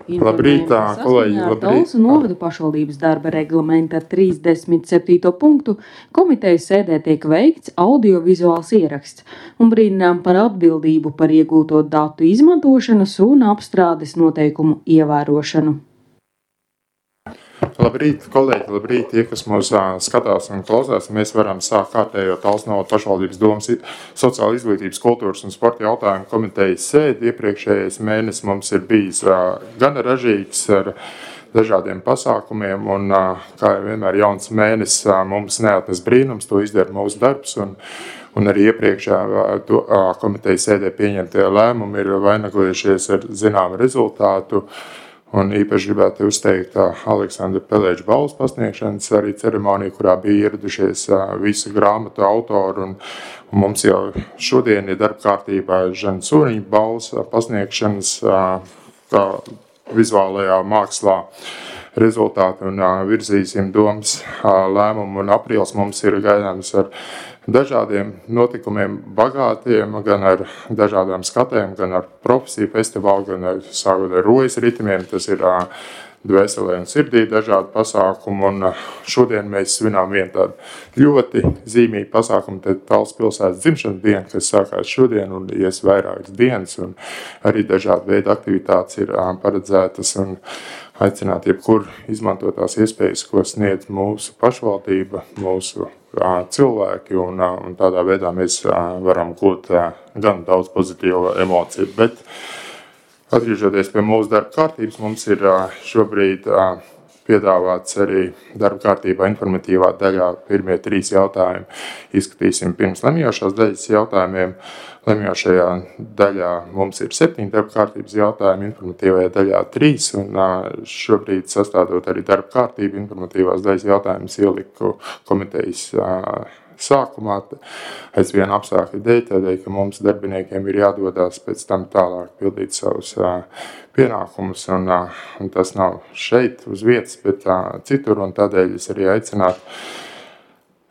Labrīt, kolēģi, labrīt. Talsu novada pašvaldības darba reglamenta 37. punktu komitejas sēdē tiek veikts audiovizuāls ieraksts un brīdinām par atbildību par iegūto datu izmantošanas un apstrādes noteikumu ievērošanu. Labrīt, kolēģi, labrīt, tie, kas mūs skatās un klausās. Mēs varam sākt kārtējo Talsu novada pašvaldības domas sociāla izglītības, kultūras un sporta jautājumu komitejas sēdi. Iepriekšējais mēnesis mums ir bijis gan ražīgs ar dažādiem pasākumiem, un kā jau vienmēr jauns mēnesis mums neatnes brīnums, to izdara mūsu darbs, un arī iepriekšējā komitejas sēdē pieņemtie lēmumi ir vainagojušies ar zināmu rezultātu. Un īpaši gribētu uzteikt Aleksandra Pelēģa balvas pasniegšanas arī ceremoniju, kurā bija ieradušies visi grāmatu autori. Un mums jau šodien ir darba kārtībā Žana Sūriņa balvas pasniegšanas vizuālajā mākslā rezultāti un virzīsim domas lēmumu. Un aprīlis mums ir gaidāms ar dažādiem notikumiem bagātiem, gan ar dažādām skatēm, gan ar profesiju festivālu, gan ar sākot ar rojas ritimiem. Tas ir dvēselē un sirdī dažādi pasākumi, un šodien mēs svinām vienu tādu ļoti zīmīgu pasākumu, tad Talsu pilsētas dzimšanas diena, kas sākās šodien un ies vairākas dienas, un arī dažādi veidi aktivitātes ir paredzētas, un aicināt jebkur izmantot tās iespējas, ko sniedz mūsu pašvaldība, mūsu cilvēki, un tādā veidā mēs varam gūt gan daudz pozitīvu emociju. Bet atgriežoties pie mūsu darba kārtības, mums ir šobrīd piedāvāts arī darba kārtībā informatīvā daļā. Pirmie 3 jautājumi izskatīsim pirms lemjošās daļas jautājumiem. Lemjošajā daļā mums ir 7 darba kārtības jautājumi, informatīvajā daļā 3, un šobrīd sastādot arī darba kārtību, informatīvās daļas jautājumus ieliku komitejas sākumā, aizvien apstākļu dēļ, tādēļ, ka mums darbiniekiem ir jādodās pēc tam tālāk pildīt savus pienākumus, un tas nav šeit uz vietas, bet citur, un tādēļ es arī aicinātu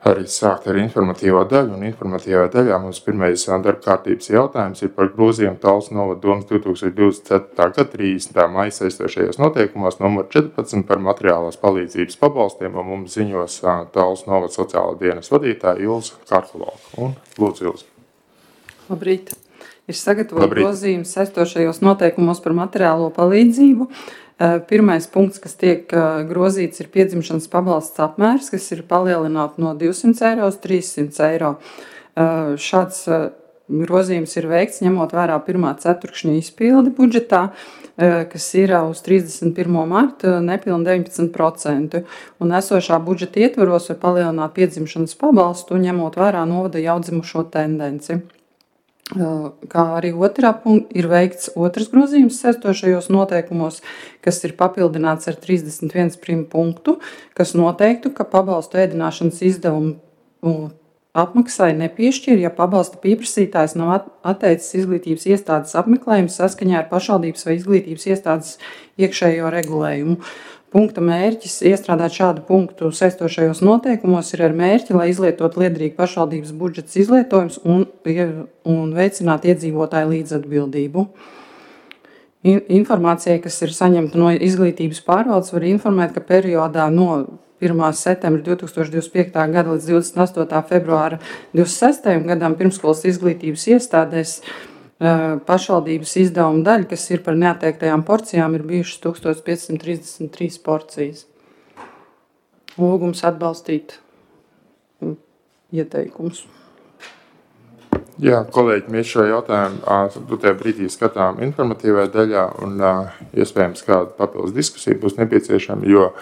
arī sākt ar informatīvo daļu, un informatīvā daļā mums pirmais darba kārtības jautājums ir par grozījumu Talsu novada domas 2024. gada 30. maija saistošajos noteikumos numur 14 par materiālās palīdzības pabalstiem, un mums ziņos Talsu novada sociālā dienas vadītāja Ilza Karkulova. Un lūdzu, Ilza. Labrīt. Ir sagatavot grozījums saistošajos noteikumos par materiālo palīdzību. Pirmais punkts, kas tiek grozīts, ir piedzimšanas pabalsts apmērs, kas ir palielināts no 200 eiro uz 300 eiro. Šāds grozījums ir veikts ņemot vērā pirmā ceturkšņa izpildi budžetā, kas ir uz 31. martu nepilni 19%. Un esošā budžeta ietvaros var palielināt piedzimšanas pabalstu, ņemot vērā novada jaundzimušo tendenci. Kā arī otrā punkta ir veikts otrs grozījums saistošajos noteikumos, kas ir papildināts ar 31 punktu, kas noteiktu, ka pabalstu ēdināšanas izdevumu apmaksai nepiešķir, ja pabalsta pieprasītājs nav atteicis izglītības iestādes apmeklējumu saskaņā ar pašvaldības vai izglītības iestādes iekšējo regulējumu. Punkta mērķis iestrādāt šādu punktu saistošajos noteikumos ir ar mērķi, lai izlietot liederīgu pašvaldības budžets izlietojums un veicināt iedzīvotāju līdzatbildību. Informācija, kas ir saņemta no izglītības pārvaldes, var informēt, ka periodā no 1. septembra 2025. gada līdz 28. februāra 26. gadam pirmskolas izglītības iestādēs pašvaldības izdevuma daļa, kas ir par neatteiktajām porcijām, ir bijušas 1533 porcijas. Lūgums atbalstīt ieteikumus. Jā, kolēģi, mēs šo jautājumu tajā brīdī skatām informatīvajā daļā, un iespējams kāda papildus diskusija būs nepieciešama, jo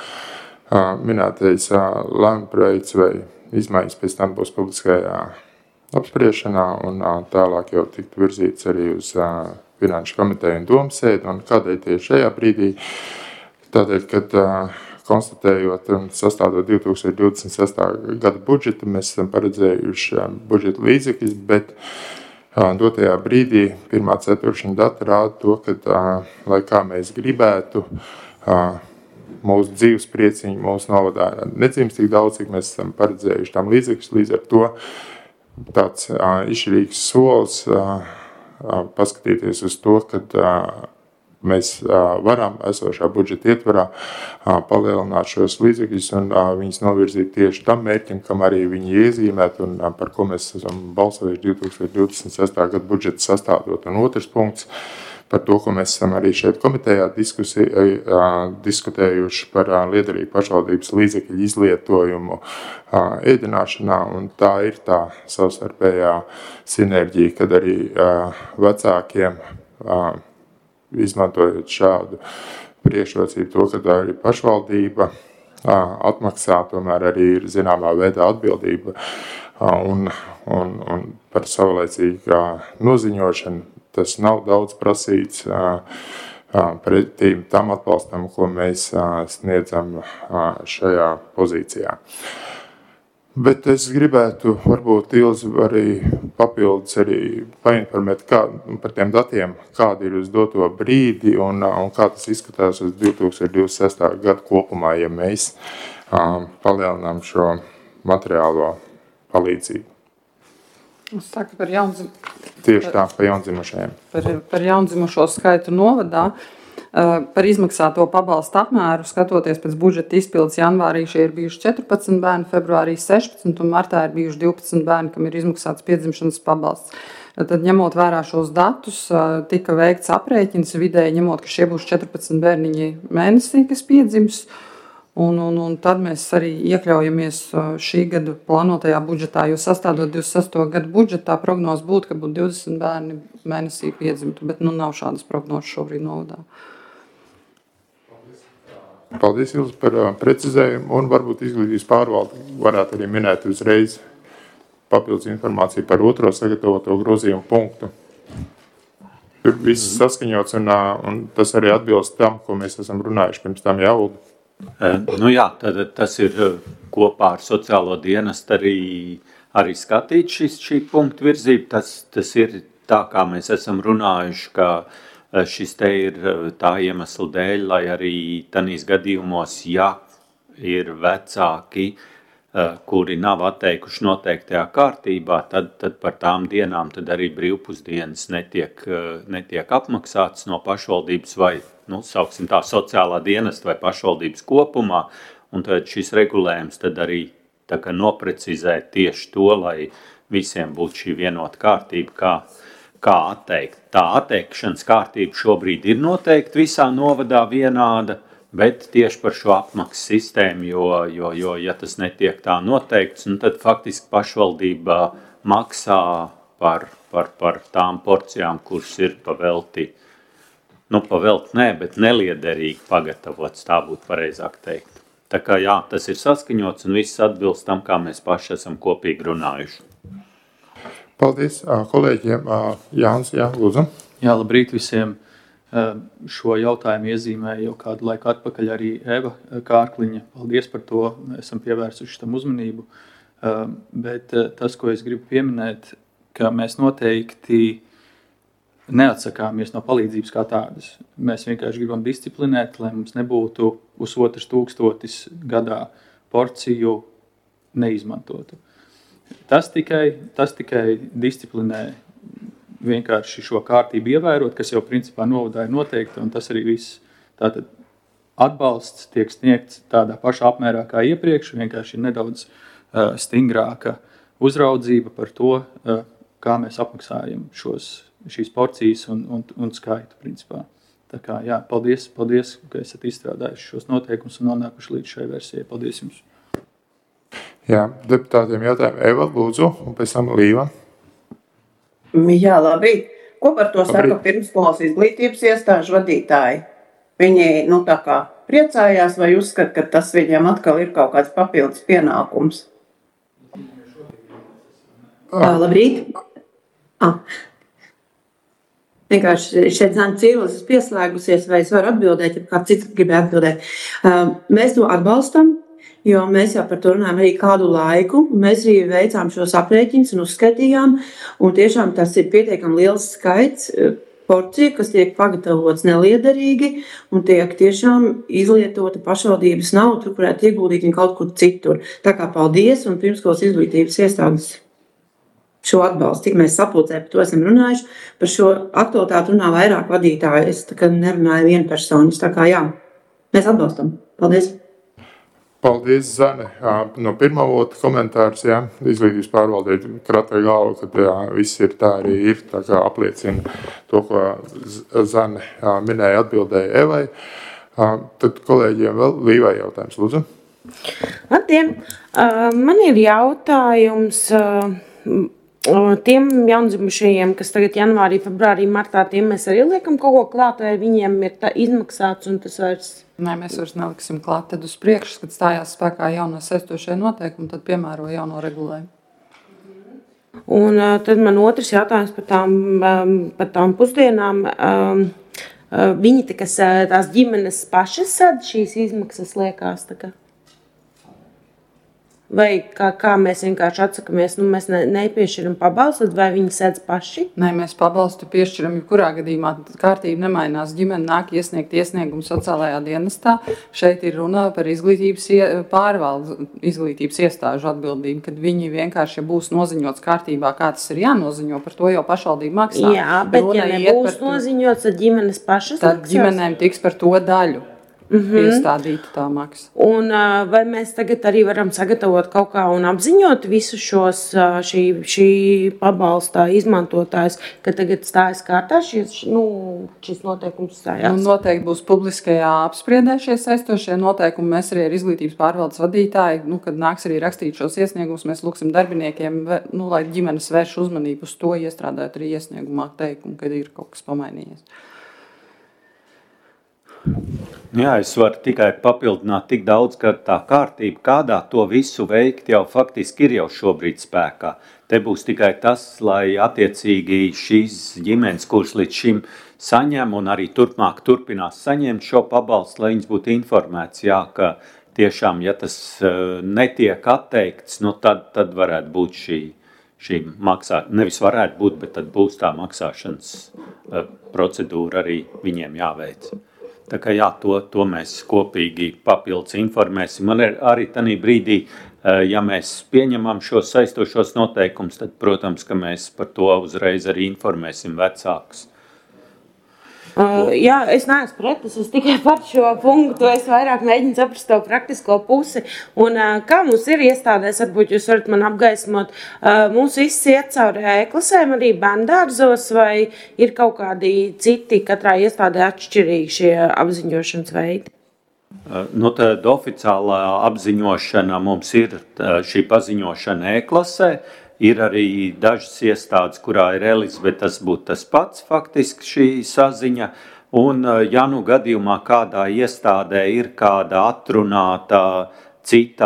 minētais lēmuma projekts vai izmaiņas pēc tam būs publiskajā apspriešanā, un tālāk jau tiktu virzīts arī uz Finanšu komiteju un domas sēdi. Un kādēļ tieši šajā brīdī? Tādēļ, kad konstatējot un sastādot 2026. gada budžetu, mēs esam paredzējuši budžeta līdzekļus, bet dotajā brīdī pirmā ceturkšņa data rāda to, ka, lai kā mēs gribētu, mūsu dzīves prieciņi mūsu novadā nedzimst tik daudz, cik mēs esam paredzējuši tam līdzekļus, līdz ar to tāds izšķirīgs solis paskatīties uz to, ka mēs varam esošā budžeta ietvarā palielināt šos līdzekļus un viņus novirzīt tieši tam mērķim, kam arī viņi iezīmēt un par ko mēs esam balsojuši 2026. gada budžeta sastādot. Un otrs punkts par to, ko mēs esam arī šeit komitejā diskutējuši par liederīgu pašvaldības līdzekļu izlietojumu ēdināšanā, un tā ir tā savstarpējā sinerģija, kad arī vecākiem izmantojot šādu priekšrocību to, ka arī pašvaldība atmaksā, tomēr arī ir zināmā veidā atbildība un par savlaicīgu noziņošanu. Tas nav daudz prasīts pretīm tam atbalstam, ko mēs sniedzam šajā pozīcijā. Bet es gribētu varbūt Ilzi arī papildus arī painformēt par tiem datiem, kādi ir uz doto brīdi un kā tas izskatās uz 2026. gadu kopumā, ja mēs palielinām šo materiālo palīdzību. Es saku par jaundzimušajiem. Tieši tā, par jaundzimušajiem. Par jaundzimušo skaitu novadā. Par izmaksāto pabalstu apmēru, skatoties pēc budžeta izpildes janvārī, šie ir bijuši 14 bērni, februārī 16 un martā ir bijuši 12 bērni, kam ir izmaksāts piedzimšanas pabalsts. Tad, ņemot vērā šos datus, tika veikts aprēķins vidēji, ņemot, ka šie būs 14 bērniņi mēnesī, kas piedzims. Un tad mēs arī iekļaujamies šī gada plānotajā budžetā, jo sastādot 26. gadu budžetā prognoze būtu, ka būtu 20 bērni mēnesī piedzimtu, bet nav šādas prognozes šobrīd novadā. Paldies, Ilzi, par precizējumu, un varbūt izglītības pārvalde varētu arī minēt uzreiz papildus informāciju par otro sagatavoto grozījumu punktu. Tur viss saskaņots, un tas arī atbilst tam, ko mēs esam runājuši pirms tam Ulda. Jā, tad tas ir kopā ar sociālo dienestu arī skatīt šī punktu virzība. Tas ir tā, kā mēs esam runājuši, ka šis te ir tā iemesla dēļ, lai arī tanīs gadījumos, ja ir vecāki, kuri nav atteikuši noteiktajā kārtībā, tad par tām dienām tad arī brīvpusdienas netiek apmaksātas no pašvaldības vai, sauksim tā, sociālā dienesta vai pašvaldības kopumā, un tad šis regulējums tad arī tā kā noprecizē tieši to, lai visiem būtu šī vienota kārtība, kā atteikt. Tā atteikšanas kārtība šobrīd ir noteikti visā novadā vienāda, bet tieši par šo apmaksas sistēmu, jo ja tas netiek tā noteikts, tad faktiski pašvaldība maksā par tām porcijām, kuras ir pavelti nē, bet neliederīgi pagatavots, tā būtu pareizāk teikt. Tā kā jā, tas ir saskaņots un viss atbilst tam, kā mēs paši esam kopīgi runājuši. Paldies kolēģiem. Jānis, lūdzu. Jā, labrīt visiem. Šo jautājumu iezīmēja jau kādu laiku atpakaļ arī Eva Kārkliņa. Paldies par to, esam pievērsuši tam uzmanību. Bet tas, ko es gribu pieminēt, ka mēs noteikti neatsakāmies no palīdzības kā tādas. Mēs vienkārši gribam disciplinēt, lai mums nebūtu uz 1000 gadā porciju neizmantotu. Tas tikai disciplinē vienkārši šo kārtību ievērot, kas jau principā novadā ir noteikta, un tas arī viss. Tātad atbalsts tiek sniegts tādā pašā apmērā kā iepriekš, vienkārši ir nedaudz stingrāka uzraudzība par to, kā mēs apmaksājam šīs porcijas un skaitu principā. Tā kā, jā, paldies, ka esat izstrādājuši šos noteikumus un nonākuši līdz šai versijai. Paldies jums! Jā, deputātiem jautājumu. Eva, lūdzu, un pēc tam Līva. Jā, labrīt. Ko par to saka pirmsskolas izglītības iestāžu vadītāji? Viņi, tā kā priecājās vai uzskata, ka tas viņiem atkal ir kaut kāds papildus pienākums? Labrīt. Vienkārši šeit Zana Cīrulis pieslēgusies, vai es varu atbildēt, ja kāds cits gribēja atbildēt. Mēs to atbalstam. Jo mēs jau par to runājam arī kādu laiku, un mēs arī veicām šos aprēķinus un uzskaitījām, un tiešām tas ir pietiekami liels skaits porciju, kas tiek pagatavots neliederīgi, un tiek tiešām izlietota pašvaldības nauda, tur varētu ieguldīt viņu kaut kur citur. Tā kā paldies, un pirmskolas izglītības iestādes. šo atbalstu, tik mēs sapulcē par to esam runājuši, par šo aktualitāti runā vairāk vadītāji, es tā kā nerunāju vienu personu, tā kā jā, mēs atbalstam. Paldies! Paldies, Zane. No pirmā vota komentārs, jā, izglītības pārvaldē kratē galvu, kad viss ir tā arī ir, tā kā apliecina to, ko Zane minēja atbildēja Evai. Tad kolēģiem vēl Līvai jautājums, lūdzu. Labdien! Man ir jautājums tiem jaundzimušajiem, kas tagad janvārī, februārī, martā, tiem mēs arī liekam kaut ko klāt, vai viņiem ir izmaksāts un tas vairs... Nē, mēs vairs neliksim klāt, tad uz priekšu, kad stājās spēkā jauno saistošie noteikumi, tad piemēro jauno regulējumu. Un tad man otrs jautājums par tām pusdienām. Viņi tās ģimenes pašas sad šīs izmaksas liekas tā kā? Vai kā mēs vienkārši atsakamies, mēs nepiešķiram pabalstu, vai viņi sēdz paši? Nē, mēs pabalstu piešķiram, kurā gadījumā kārtība nemainās. Ģimene nāk iesniegt iesniegumu sociālajā dienestā. Šeit ir runa par izglītības pārvaldes, izglītības iestāžu atbildību, kad viņi vienkārši, ja būs noziņots kārtībā, kā tas ir jānoziņo, par to jau pašvaldība maksā. Jā, bet ja nebūs noziņots, tad ģimenes pašas tad ģimenēm tiks par to daļu. Iestādīta tā maksa. Un vai mēs tagad arī varam sagatavot kaut kā un apziņot visus šos šī pabalstā izmantotājus, ka tagad stājas kārtā šis noteikums stājās? Noteikti būs publiskajā apspriedē šie saistošie noteikumi. Mēs arī ar izglītības pārvaldes vadītāji, kad nāks arī rakstīt šos iesniegumus, mēs lūksim darbiniekiem, lai ģimenes vērš uzmanību uz to, iestrādājot arī iesniegumā teikumu, kad ir kaut kas pamainījies. Jā, es varu tikai papildināt tik daudz, ka tā kārtība, kādā to visu veikt, jau faktiski ir jau šobrīd spēkā. Te būs tikai tas, lai attiecīgi šīs ģimenes, kuras līdz šim saņem un arī turpmāk turpinās saņemt šo pabalstu, lai viņas būtu informēts, jā, ka tiešām, ja tas netiek atteikts, tad varētu būt šī maksāšana, nevis varētu būt, bet tad būs tā maksāšanas procedūra arī viņiem jāveic. Tā kā jā, to mēs kopīgi papildus informēsim. Man ir arī tanī brīdī, ja mēs pieņemam šos saistošos noteikumus, tad, protams, ka mēs par to uzreiz arī informēsim vecākus. Jā, es neesmu pret, es tikai par šo punktu, es vairāk mēģinu saprast to praktisko pusi. Un kā mums ir iestādēs, varbūt jūs varat man apgaismot, mums viss iet cauri e-klasēm arī bērndārzos, vai ir kaut kādi citi katrā iestādē atšķirīgi šie apziņošanas veidi? Tad oficiālā apziņošana mums ir šī paziņošana e-klasē. Ir arī dažas iestādes, kurā ir Elis, bet tas būtu tas pats faktiski šī saziņa. Un ja gadījumā kādā iestādē ir kāda atrunāta cits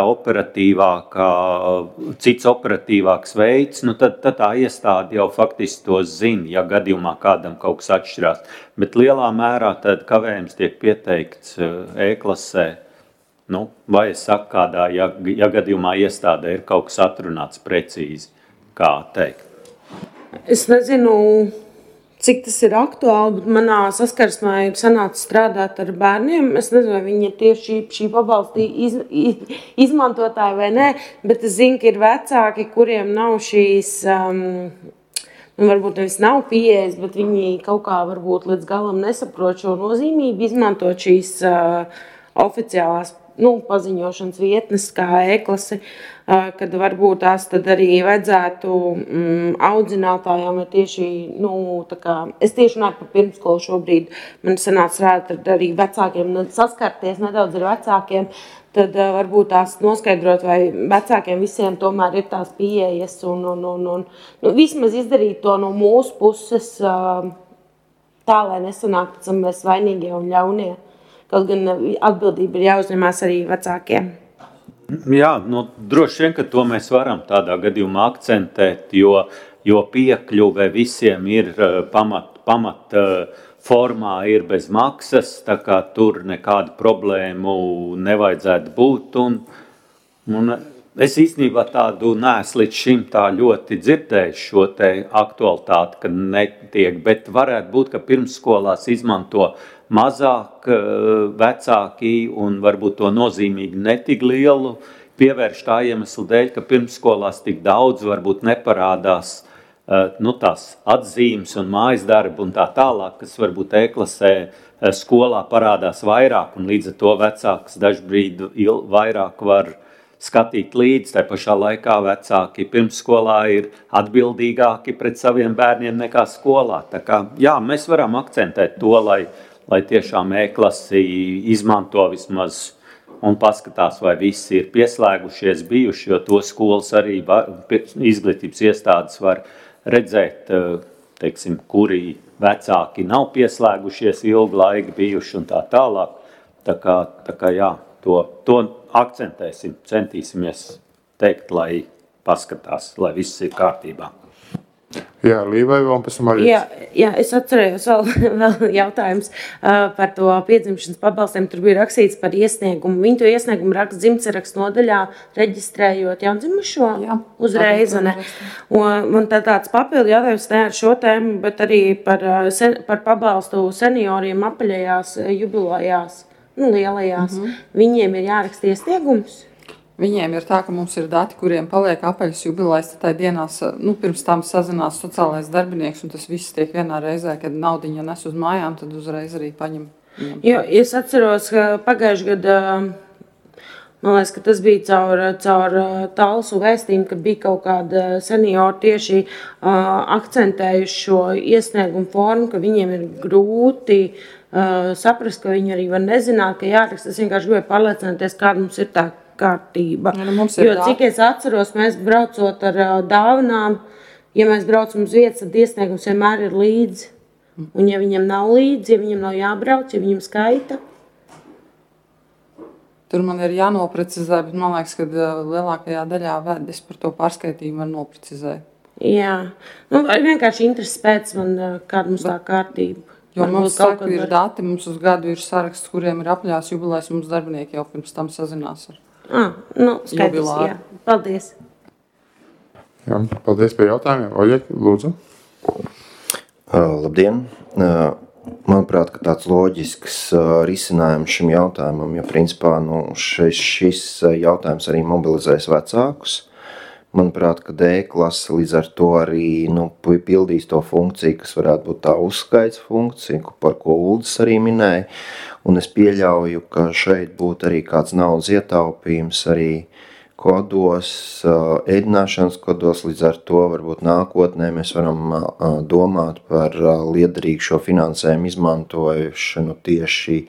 operatīvāks veids, tad tā iestāde jau faktiski to zina, ja gadījumā kādam kaut kas atšķirās. Bet lielā mērā tad kavējums tiek pieteikts e-klasē. Vai es saku kādā, ja gadījumā iestādē ir kaut kas atrunāts precīzi, kā teikt? Es nezinu, cik tas ir aktuāli, bet manā saskarsmē ir sanācis strādāt ar bērniem. Es nezinu, vai viņi ir tieši šī pabalsta izmantotāji vai nē, bet es zinu, ka ir vecāki, kuriem nav šīs, varbūt nevis nav pieejas, bet viņi kaut kā varbūt līdz galam nesaprot šo nozīmību, izmantot šīs oficiālās paziņošanas vietnes kā e-klasi, kad varbūt tās tad arī vajadzētu audzinātājām tieši, es tieši runāju par pirmskolu šobrīd, man sanāca strādāt arī vecākiem, saskarties nedaudz ar vecākiem, tad varbūt tās noskaidrot, vai vecākiem visiem tomēr ir tās pieejas un vismaz izdarīt to no mūsu puses tā, lai nesanāk pēc tam mēs vainīgie un ļaunie. Kaut gan atbildība ir jāuzņemās arī vecākiem. Jā, droši vien, ka to mēs varam tādā gadījumā akcentēt, jo piekļuve visiem ir pamat formā ir bez maksas, tā kā tur nekādu problēmu nevajadzētu būt. Un es īstenībā tādu neesmu līdz šim tā ļoti dzirdējis šo te aktualitāti, ka netiek, bet varētu būt, ka pirmsskolās izmanto mazāk vecāki un varbūt to nozīmīgi netik lielu pievērš tā iemesla dēļ, ka pirmsskolās tik daudz varbūt neparādās tās atzīmes un mājas darbi un tā tālāk, kas varbūt E-klasē skolā parādās vairāk, un līdz ar to vecāks dažbrīd vairāk var skatīt līdzi. Tā pašā laikā vecāki pirmsskolā ir atbildīgāki pret saviem bērniem nekā skolā. Tā kā, jā, mēs varam akcentēt to, lai tiešām E-klasi izmanto vismaz un paskatās, vai visi ir pieslēgušies, bijuši, jo to skolas arī izglītības iestādes var redzēt, teiksim, kuri vecāki nav pieslēgušies ilgu laiku bijuši un tā tālāk. Tā kā jā, to akcentēsim, centīsimies teikt, lai paskatās, lai viss ir kārtībā. Jā, Līvai vēl pēc tam arī. Jā, es atcerējos vēl jautājums par to piedzimšanas pabalstiem. Tur bija rakstīts par iesniegumu. Viņi to iesniegumu raksta dzimtsarakstu nodaļā, reģistrējot jaundzimušo uzreiz. Un tāds papildu jautājums ne ar šo tēmu, bet arī par pabalstu senioriem apaļajās jubilejās, lielajās. Viņiem ir jāraksta iesniegums. Viņiem ir tā, ka mums ir dati, kuriem paliek apaļas jubilejas, tad tai dienās, pirms tam sazinās sociālais darbinieks, un tas viss tiek vienā reizē, kad naudiņa nes uz mājām, tad uzreiz arī paņem. Jo, es atceros, ka pagājuši gadu, man liekas, ka tas bija caur Talsu vēstījumu, ka bija kaut kāda seniori tieši akcentējuši šo iesniegumu formu, ka viņiem ir grūti saprast, ka viņi arī var nezināt, ka jāraksta. Es vienkārši gribēju pārliecināties, kāda mums ir tā kārtība. Cik es atceros, mēs braucot ar dāvanām, ja mēs braucam uz vietas, tad iesniegums vienmēr ir līdzi. Un ja viņam nav līdzi, ja viņam nav jābrauc, ja viņam skaita. Tur man ir jānoprecizē, bet man liekas, ka lielākajā daļā es par to pārskaitījumu var noprecizēt. Jā, vienkārši intereses pēc man, kāda mums tā kārtība. Jo mums saka, ir dati, mums uz gadu ir saraksts, kuriem ir apaļās jubilejas, un mums darbinieki jau pirms tam sazinās ar skaidrs, jā. Paldies. Jā, paldies par jautājumiem. Oļek, lūdzu. Labdien. Manuprāt, ka tāds loģisks risinājums šim jautājumam, jo principā šis jautājums arī mobilizēs vecākus. Manuprāt, ka D-klase līdz ar to arī pildīs to funkciju, kas varētu būt tā uzskaits funkcija, par ko Uldis arī minēja. Un es pieļauju, ka šeit būtu arī kāds naudas ietaupījums arī kodos, ēdināšanas kodos. Līdz ar to varbūt nākotnē mēs varam domāt par liederīgu šo finansējumu izmantošanu tieši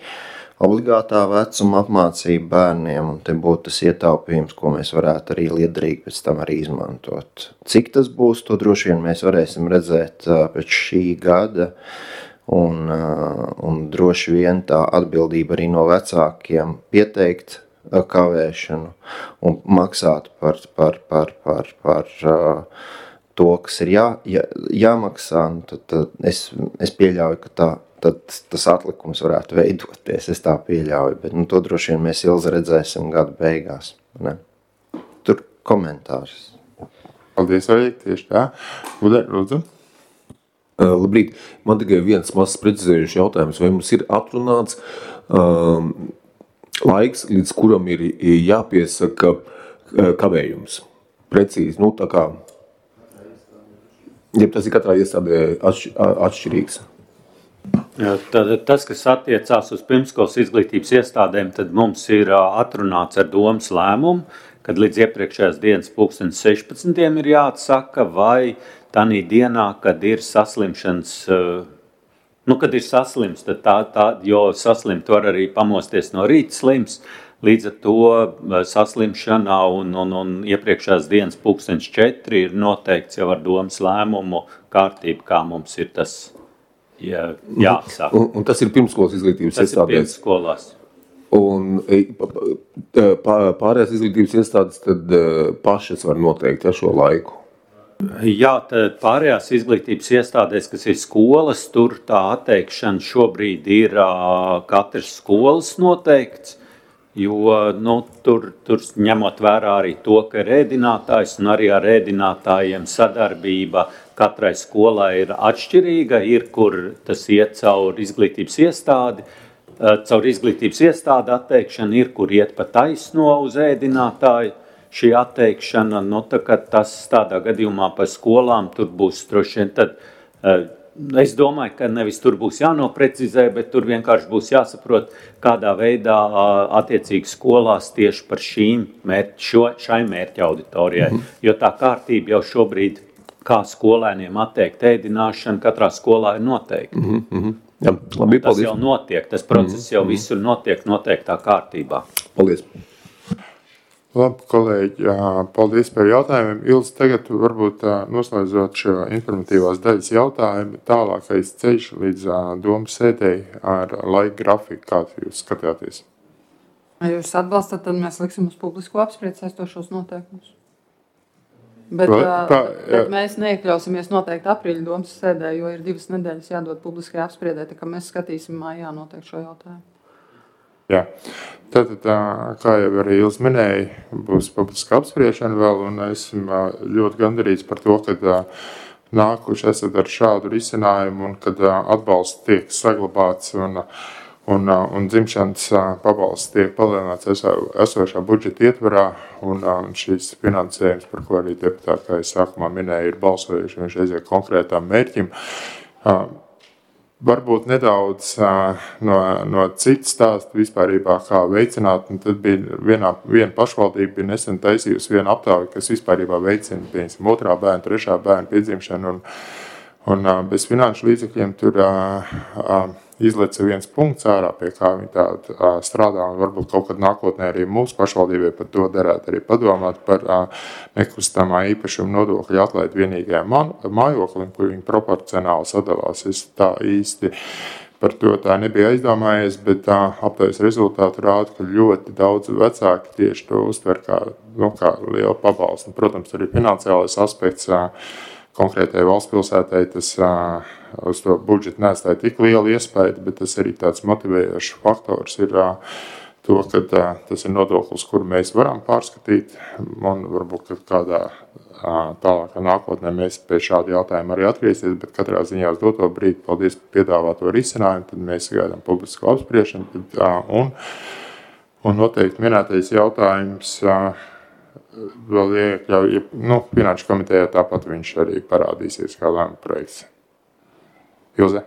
obligātā vecuma apmācība bērniem, un te būtu tas ietaupījums, ko mēs varētu arī liederīgi pēc tam arī izmantot. Cik tas būs, to droši vien mēs varēsim redzēt pēc šī gada, un droši vien tā atbildība arī no vecākiem pieteikt kavēšanu un maksāt par to, kas ir jāmaksā. Tad es pieļauju, ka tad tas atlikums varētu veidoties, es tā pieļauju, bet to droši vien mēs Ilze redzēsim gada beigās. Ne? Tur komentārs. Paldies, Oļek, tieši tā. Lūdzu. Labrīt, man tikai viens mazs precizējuši jautājums, vai mums ir atrunāts laiks, līdz kuram ir jāpiesaka kavējums? Precīzi, tā kā, ja tas ir katrā iestādē atšķirīgs. Tad, tas, kas attiecās uz pirmskolas izglītības iestādēm, tad mums ir atrunāts ar domas lēmumu, kad līdz iepriekšējās dienas 16. ir jāatsaka, vai tanī dienā, kad ir saslimšanas, kad ir saslims, tad jo saslimt var arī pamosties no rīta slims, līdz ar to saslimšanā un iepriekšējās dienas 4 ir noteikts jau ar domas lēmumu kārtību, kā mums ir tas jāsaka. Un tas ir pirmskolas izglītības iestādēs? Tas ir pirmskolās. Un pārējās izglītības iestādes tad pašas var noteikt šo laiku? Jā, tad pārējās izglītības iestādēs, kas ir skolas, tur tā atteikšana šobrīd ir katras skolas noteikts, jo tur ņemot vērā arī to, ka ir ēdinātājs un arī ar ēdinātājiem sadarbība katrai skolai ir atšķirīga, ir, kur tas iet caur izglītības iestādi, caur izglītības iestādi atteikšana ir, kur iet pa taisno uz ēdinātāju. Šī atteikšana, tas tādā gadījumā par skolām tur būs droši vien tad, es domāju, ka nevis tur būs jānoprecizē, bet tur vienkārši būs jāsaprot, kādā veidā attiecīgi skolās tieši par šai mērķa auditorijai. Jo tā kārtība jau šobrīd, kā skolēniem atteikt ēdināšanu, katrā skolā ir noteikti. Jā, labi, tas jau notiek, tas process jau visur notiek noteiktā kārtībā. Paldies! Labi, kolēģi, paldies par jautājumiem. Ilze, tagad varbūt noslēdzot šo informatīvās daļas jautājumu, tālākais ceļš līdz domas sēdēji ar laika grafiku, kāds jūs skatāties? Ja jūs atbalstat, tad mēs liksim uz publisko apspriedi saistošos noteikumus. Bet mēs neiekļausimies noteikti aprīļa domas sēdē, jo ir 2 nedēļas jādod publiskajā apspriedē, tā kā mēs skatīsim mājā noteikti šo jautājumu. Jā, tad, kā jau arī Ilze minēja, būs publiska apspriešana vēl, un esmu ļoti gandarīts par to, ka nākuši esat ar šādu risinājumu, un kad atbalsts tiek saglabāts, un dzimšanas pabalsts tiek palielināts esošā budžeta ietvarā, un šis finansējums, par ko arī deputāti, kā es sākumā minēju, ir balsojuši, viņš aiziet konkrētām mērķim. Varbūt nedaudz no citas stāsta vispārībā, kā veicināt, un tad bija viena pašvaldība bija nesen taisījusi vienu aptauju, kas vispārībā veicina, piemēram, 2. bērnu, 3. bērnu piedzimšanu, un bez finanšu līdzekļiem tur izleca viens punkts ārā, pie kā viņi tā strādā, un varbūt kaut kad nākotnē arī mūsu pašvaldībai par to derētu arī padomāt par nekustamā īpašuma nodokļa atlaidi vienīgajām mājoklim, kur viņi proporcionāli sadalās. Es tā īsti par to tā nebija aizdomājies, bet aptaujas rezultāti rāda, ka ļoti daudz vecāki tieši to uztver kā lielu pabalstu. Protams, arī finansiālais aspekts konkrētai valsts pilsētai, tas uz to budžetu neatstāja tik lielu iespēju, bet tas arī tāds motivējošs faktors ir to, ka tas ir nodoklis, kuru mēs varam pārskatīt, un varbūt kādā tālākā nākotnē mēs pie šāda jautājuma arī atgriezties, bet katrā ziņā uz doto brīdi, paldies par piedāvāto risinājumu, tad mēs gaidām publisko apspriešanu, un noteikti minētais jautājums vēl iekļauj, finanšu komitejā tāpat viņš arī parādīsies kā lēmuma projekts. Ilze?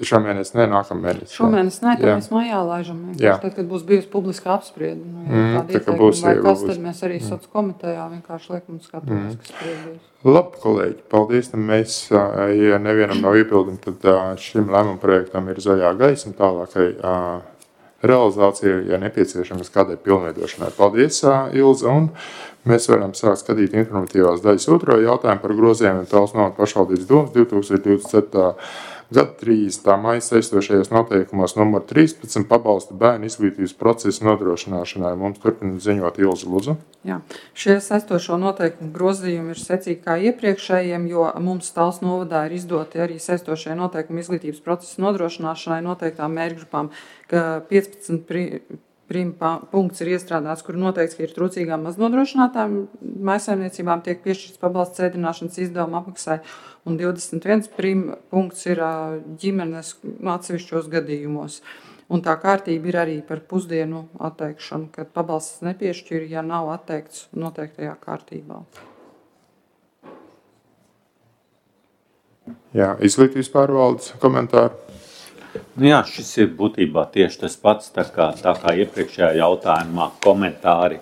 Šomēnes ne, nākamēnes. Šomēnes ne, tad mēs mājā laižam. Tad, kad būs bijusi publiska apspriede, kāda ieteikuma vai kas, tad mēs arī soc komitejā vienkārši liekam un skatāmies, kas priedīs. Labi, kolēģi, paldies. Mēs, ja nevienam nav iebildumi, tad šim lēmuma projektam ir zaļā gaisma tālākai realizācija, ja nepieciešamas kādai pilnveidošanai. Paldies, Ilze, un mēs varam sākt skatīt informatīvās daļas otro jautājumu par grozījumiem Talsu novada pašvaldības domas 2027. Gada 30. maija saistošajos noteikumos numur 13 pabalsta bērnu izglītības procesu nodrošināšanai. Mums turpina ziņot Ilze, lūdzu. Jā, šie saistošo noteikumu grozījumi ir secīgi kā iepriekšējiem, jo mums Talsu novadā ir izdoti arī saistošie noteikumi izglītības procesu nodrošināšanai noteiktām mērķgrupām, ka 15 punkts ir iestrādāts, kur noteikts, ka ir trūcīgām maznodrošinātām mājsaimniecībām tiek piešķirts pabalsts ēdināšanas izdevuma apmaksai, un 21 punkts ir ģimenes atsevišķos gadījumos. Un tā kārtība ir arī par pusdienu atteikšanu, kad pabalsts nepiešķir, ja nav atteikts noteiktajā kārtībā. Jā, izglītības pārvaldes komentāri. Jā, šis ir būtībā tieši tas pats, tā kā iepriekšējā jautājumā komentāri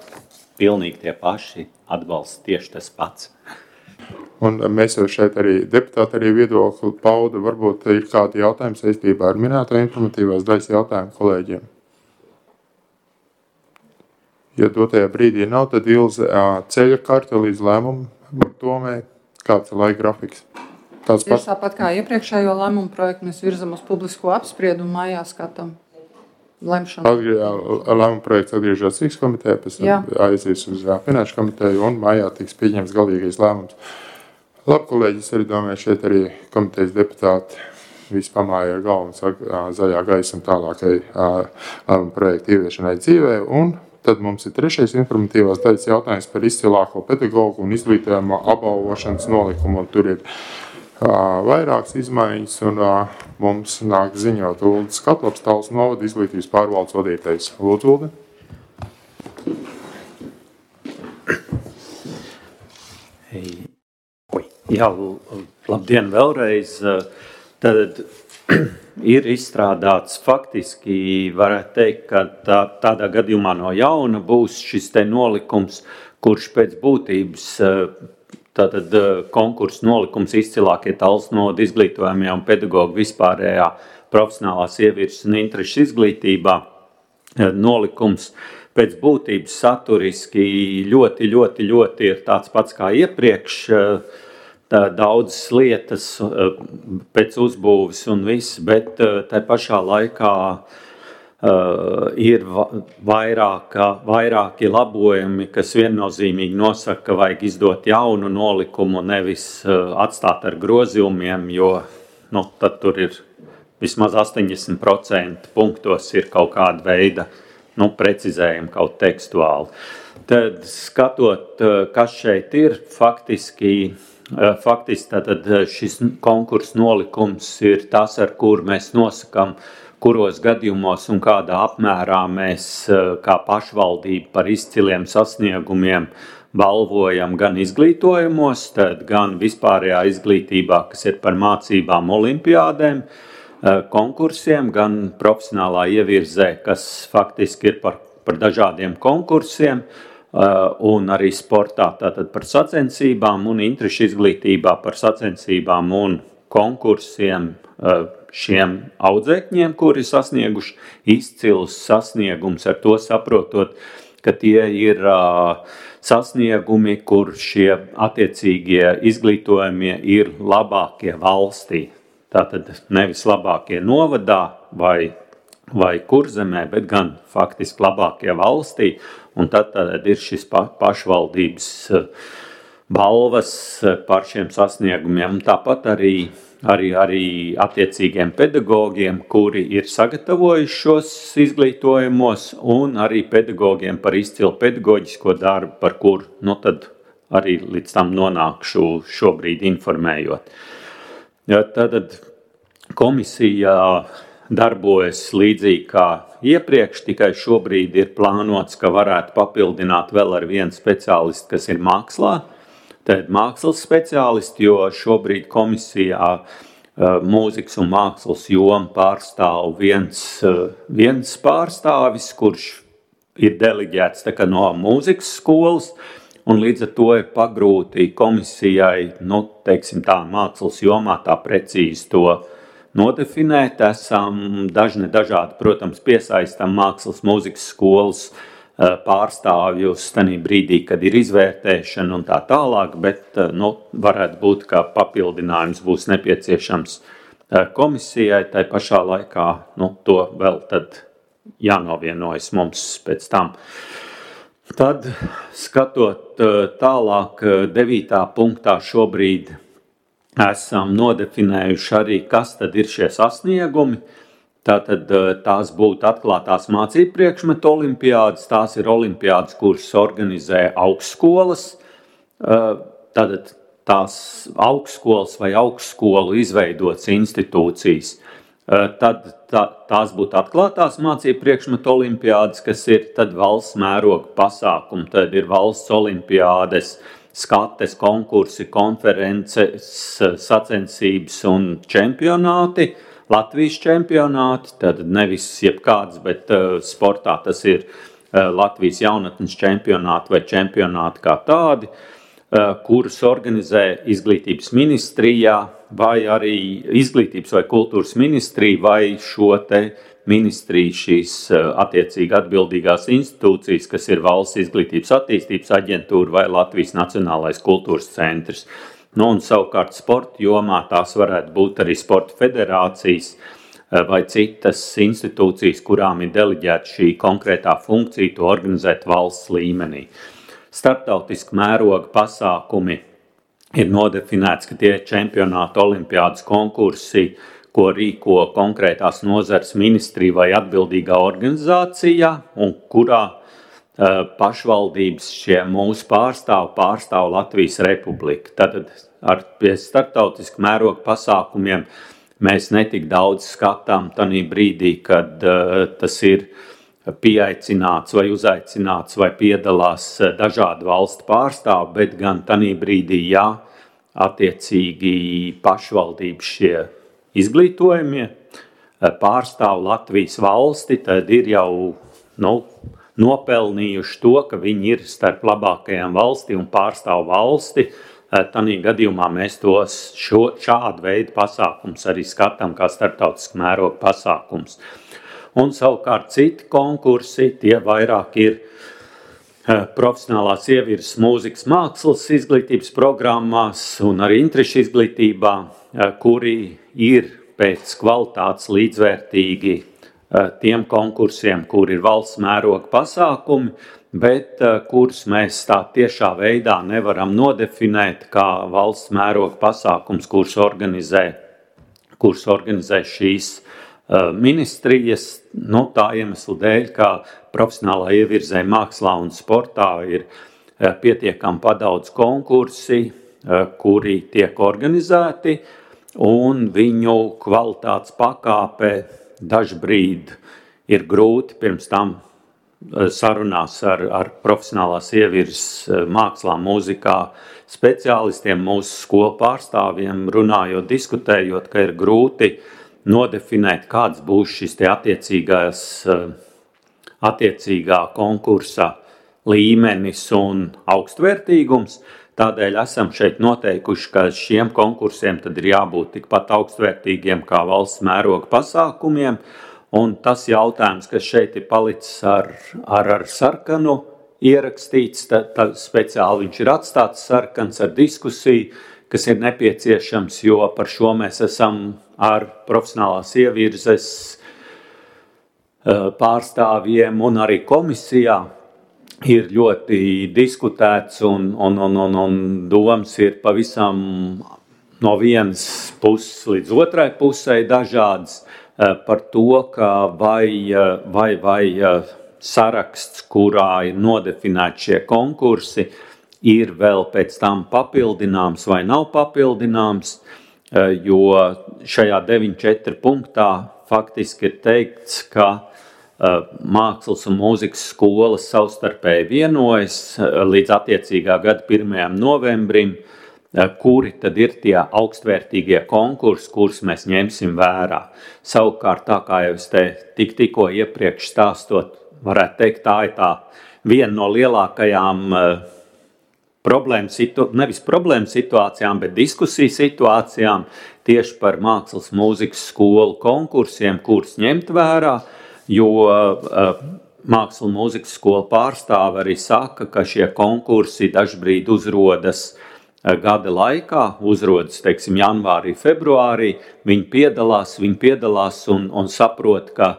pilnīgi tie paši, atbalsts tieši tas pats. Un mēs jau šeit arī deputāti arī viedokli pauda, varbūt ir kādi jautājumi saistībā ar minēto informatīvās daļas jautājumu kolēģiem. Ja dotajā brīdī nav, tad Ilze ceļa karte līdz lēmumu domē, kāds ir laika grafiks. Tieši tāpat kā iepriekšējo lēmumu projektu mēs virzam uz publisko apspriedu un mājā skatām lemšanu. Lēmumu projekts atgriežas Rīgas komitejā, pēc tam aizies uz finanšu komiteju un mājā tiks pieņemts galīgais lēmums. Labi, kolēģi, es arī domāju, šeit arī komitejas deputāti visi pamāja ar galvu un zaļā gaisma tālākai lēmumu projektu ieviešanai dzīvē, un tad mums ir trešais informatīvās daļas jautājums par izcilāko pedagogu un izglītojumu apbalvošanas nolikumu, un tur ir vairākas izmaiņas, un mums nāk ziņot Uldis Katlops, Talsu novada izglītības pārvaldes vadītājs. Lūdzu, Uldi. Jā, labdien vēlreiz. Tad ir izstrādāts faktiski, varētu teikt, ka tādā gadījumā no jauna būs šis te nolikums, kurš pēc būtības, tātad konkursu nolikums izcilākie Talsu novada izglītojamie un pedagoģi vispārējā profesionālās ievirzes un interešu izglītībā. Nolikums pēc būtības saturiski ļoti ir tāds pats kā iepriekš, daudzas lietas pēc uzbūves un viss, bet tai pašā laikā ir vairāki labojumi, kas viennozīmīgi nosaka, ka vajag izdot jaunu nolikumu, nevis atstāt ar grozījumiem, jo tad tur ir vismaz 80% punktos ir kaut kāda veida precizējumi kaut tekstuāli. Tad skatot, kas šeit ir, faktiski tātad šis konkursu nolikums ir tas, ar kur mēs nosakām, kuros gadījumos un kādā apmērā mēs kā pašvaldība par izciliem sasniegumiem balvojam gan izglītojumos, tad gan vispārējā izglītībā, kas ir par mācībām olimpiādēm, konkursiem, gan profesionālā ievirzē, kas faktiski ir par dažādiem konkursiem, un arī sportā tātad par sacensībām un interešu izglītībā par sacensībām un konkursiem šiem audzēkņiem, kuri sasnieguši izcilus sasniegums, ar to saprotot, ka tie ir sasniegumi, kur šie attiecīgie izglītojumie ir labākie valstī. Tātad nevis labākie novadā vai kurzemē, bet gan faktiski labākie valstī, un tad ir šis pašvaldības balvas par šiem sasniegumiem. Tāpat arī attiecīgiem pedagogiem, kuri ir sagatavojuši šos izglītojumos, un arī pedagogiem par izcilu pedagoģisko darbu, par kur tad arī līdz tam nonākšu šobrīd informējot. Tad komisija darbojas līdzīgi kā iepriekš, tikai šobrīd ir plānots, ka varētu papildināt vēl ar vienu speciālistu, kas ir mākslā. Tad mākslas speciālisti, jo šobrīd komisijā mūzikas un mākslas jomu pārstāv viens pārstāvis, kurš ir deleģēts no mūzikas skolas, un līdz ar to ir pagrūti komisijai, teiksim tā, mākslas jomā tā precīzi to nodefinēt. Esam dažādi, protams, piesaistam mākslas mūzikas skolas pārstāvjus tanī brīdī, kad ir izvērtēšana un tā tālāk, bet varētu būt, ka papildinājums būs nepieciešams komisijai, tai pašā laikā to vēl tad jānovienojas mums pēc tam. Tad, skatot tālāk, 9. punktā šobrīd esam nodefinējuši arī, kas tad ir šie sasniegumi. Tātad tās būtu atklātās mācību priekšmetu olimpiādas, tās ir olimpiādas, kuras organizē augstskolas, tātad tās augstskolas vai augstskolu izveidotas institūcijas. Tad tās būtu atklātās mācību priekšmetu olimpiādas, kas ir tad valsts mēroga pasākumi, tad ir valsts olimpiādes, skates, konkursi, konferences, sacensības un čempionāti, Latvijas čempionāti, tad nevis jebkāds, bet sportā tas ir Latvijas jaunatnes čempionāti vai čempionāti kā tādi, kurus organizē izglītības ministrijā vai arī izglītības vai kultūras ministrija vai šo te ministriju šīs attiecīgi atbildīgās institūcijas, kas ir Valsts izglītības attīstības aģentūra vai Latvijas Nacionālais kultūras centrs. Un savukārt sporta jomā tās varētu būt arī sporta federācijas vai citas institūcijas, kurām ir deleģēta šī konkrētā funkcija to organizēt valsts līmenī. Starptautiski mēroga pasākumi ir nodefinēts, ka tie čempionāti, olimpiādas konkursi, ko rīko konkrētās nozares ministrija vai atbildīgā organizācijā, un kurā pašvaldības šie mūsu pārstāv Latvijas Republiku. Tātad ar pie starptautisku mērogu pasākumiem mēs netik daudz skatām tanī brīdī, kad tas ir pieaicināts vai uzaicināts vai piedalās dažādu valstu pārstāvi, bet gan tanī brīdī, ja attiecīgi pašvaldības šie izglītojumie pārstāv Latvijas valsti, tad ir jau nopelnījuši to, ka viņi ir starp labākajām valstī un pārstāv valsti. Tanī gadījumā mēs tos šādu veidu pasākums arī skatām kā starptautisku mērogu pasākums. Un savukārt citi konkursi, tie vairāk ir profesionālās ievirzes mūzikas mākslas izglītības programmās un arī interešu izglītībā, kuri ir pēc kvalitātes līdzvērtīgi tiem konkursiem, kur ir valsts mēroga pasākumi, bet kurus mēs tā tiešā veidā nevaram nodefinēt kā valsts mēroga pasākums, kurus organizē šīs ministrijas, tā iemesla dēļ, ka profesionālā ievirzē mākslā un sportā ir pietiekami padaudz konkursi, kuri tiek organizēti, un viņu kvalitātes pakāpe dažbrīd ir grūti pirms tam sarunās ar profesionālās ievirzes mākslā, mūzikā speciālistiem, mūsu skolu pārstāvjiem, runājot, diskutējot, ka ir grūti nodefinēt, kāds būs šis te attiecīgā konkursa līmenis un augstvērtīgums. Tādēļ esam šeit noteikuši, ka šiem konkursiem tad ir jābūt tikpat augstvērtīgiem kā valsts mēroga pasākumiem. Un tas jautājums, kas šeit ir palicis ar sarkanu ierakstīts, tad speciāli viņš ir atstāts sarkans ar diskusiju, kas ir nepieciešams, jo par šo mēs esam ar profesionālās ievirzes pārstāvjiem un arī komisijā ir ļoti diskutēts un domas ir pavisam no vienas puses līdz otrai pusē dažādas par to, ka vai saraksts, kurā ir nodefinēti šie konkursi, ir vēl pēc tam papildināms vai nav papildināms, jo šajā 9.4 punktā faktiski ir teikts, ka mākslas un mūzikas skolas savstarpēji vienojas līdz attiecīgā gada 1. novembrim, kuri tad ir tie augstvērtīgie konkursi, kurus mēs ņemsim vērā. Savukārt, tā kā jau es te tikko iepriekš stāstot, varētu teikt, tā ir tā viena no lielākajām nevis problēmu situācijām, bet diskusiju situācijām tieši par mākslas mūzikas skolu konkursiem, kurus ņemt vērā, jo mākslas mūzikas skolu pārstāvi arī saka, ka šie konkursi dažbrīd uzrodas gada laikā, uzrodas, teiksim, janvārī, februārī, viņi piedalās un saprot, ka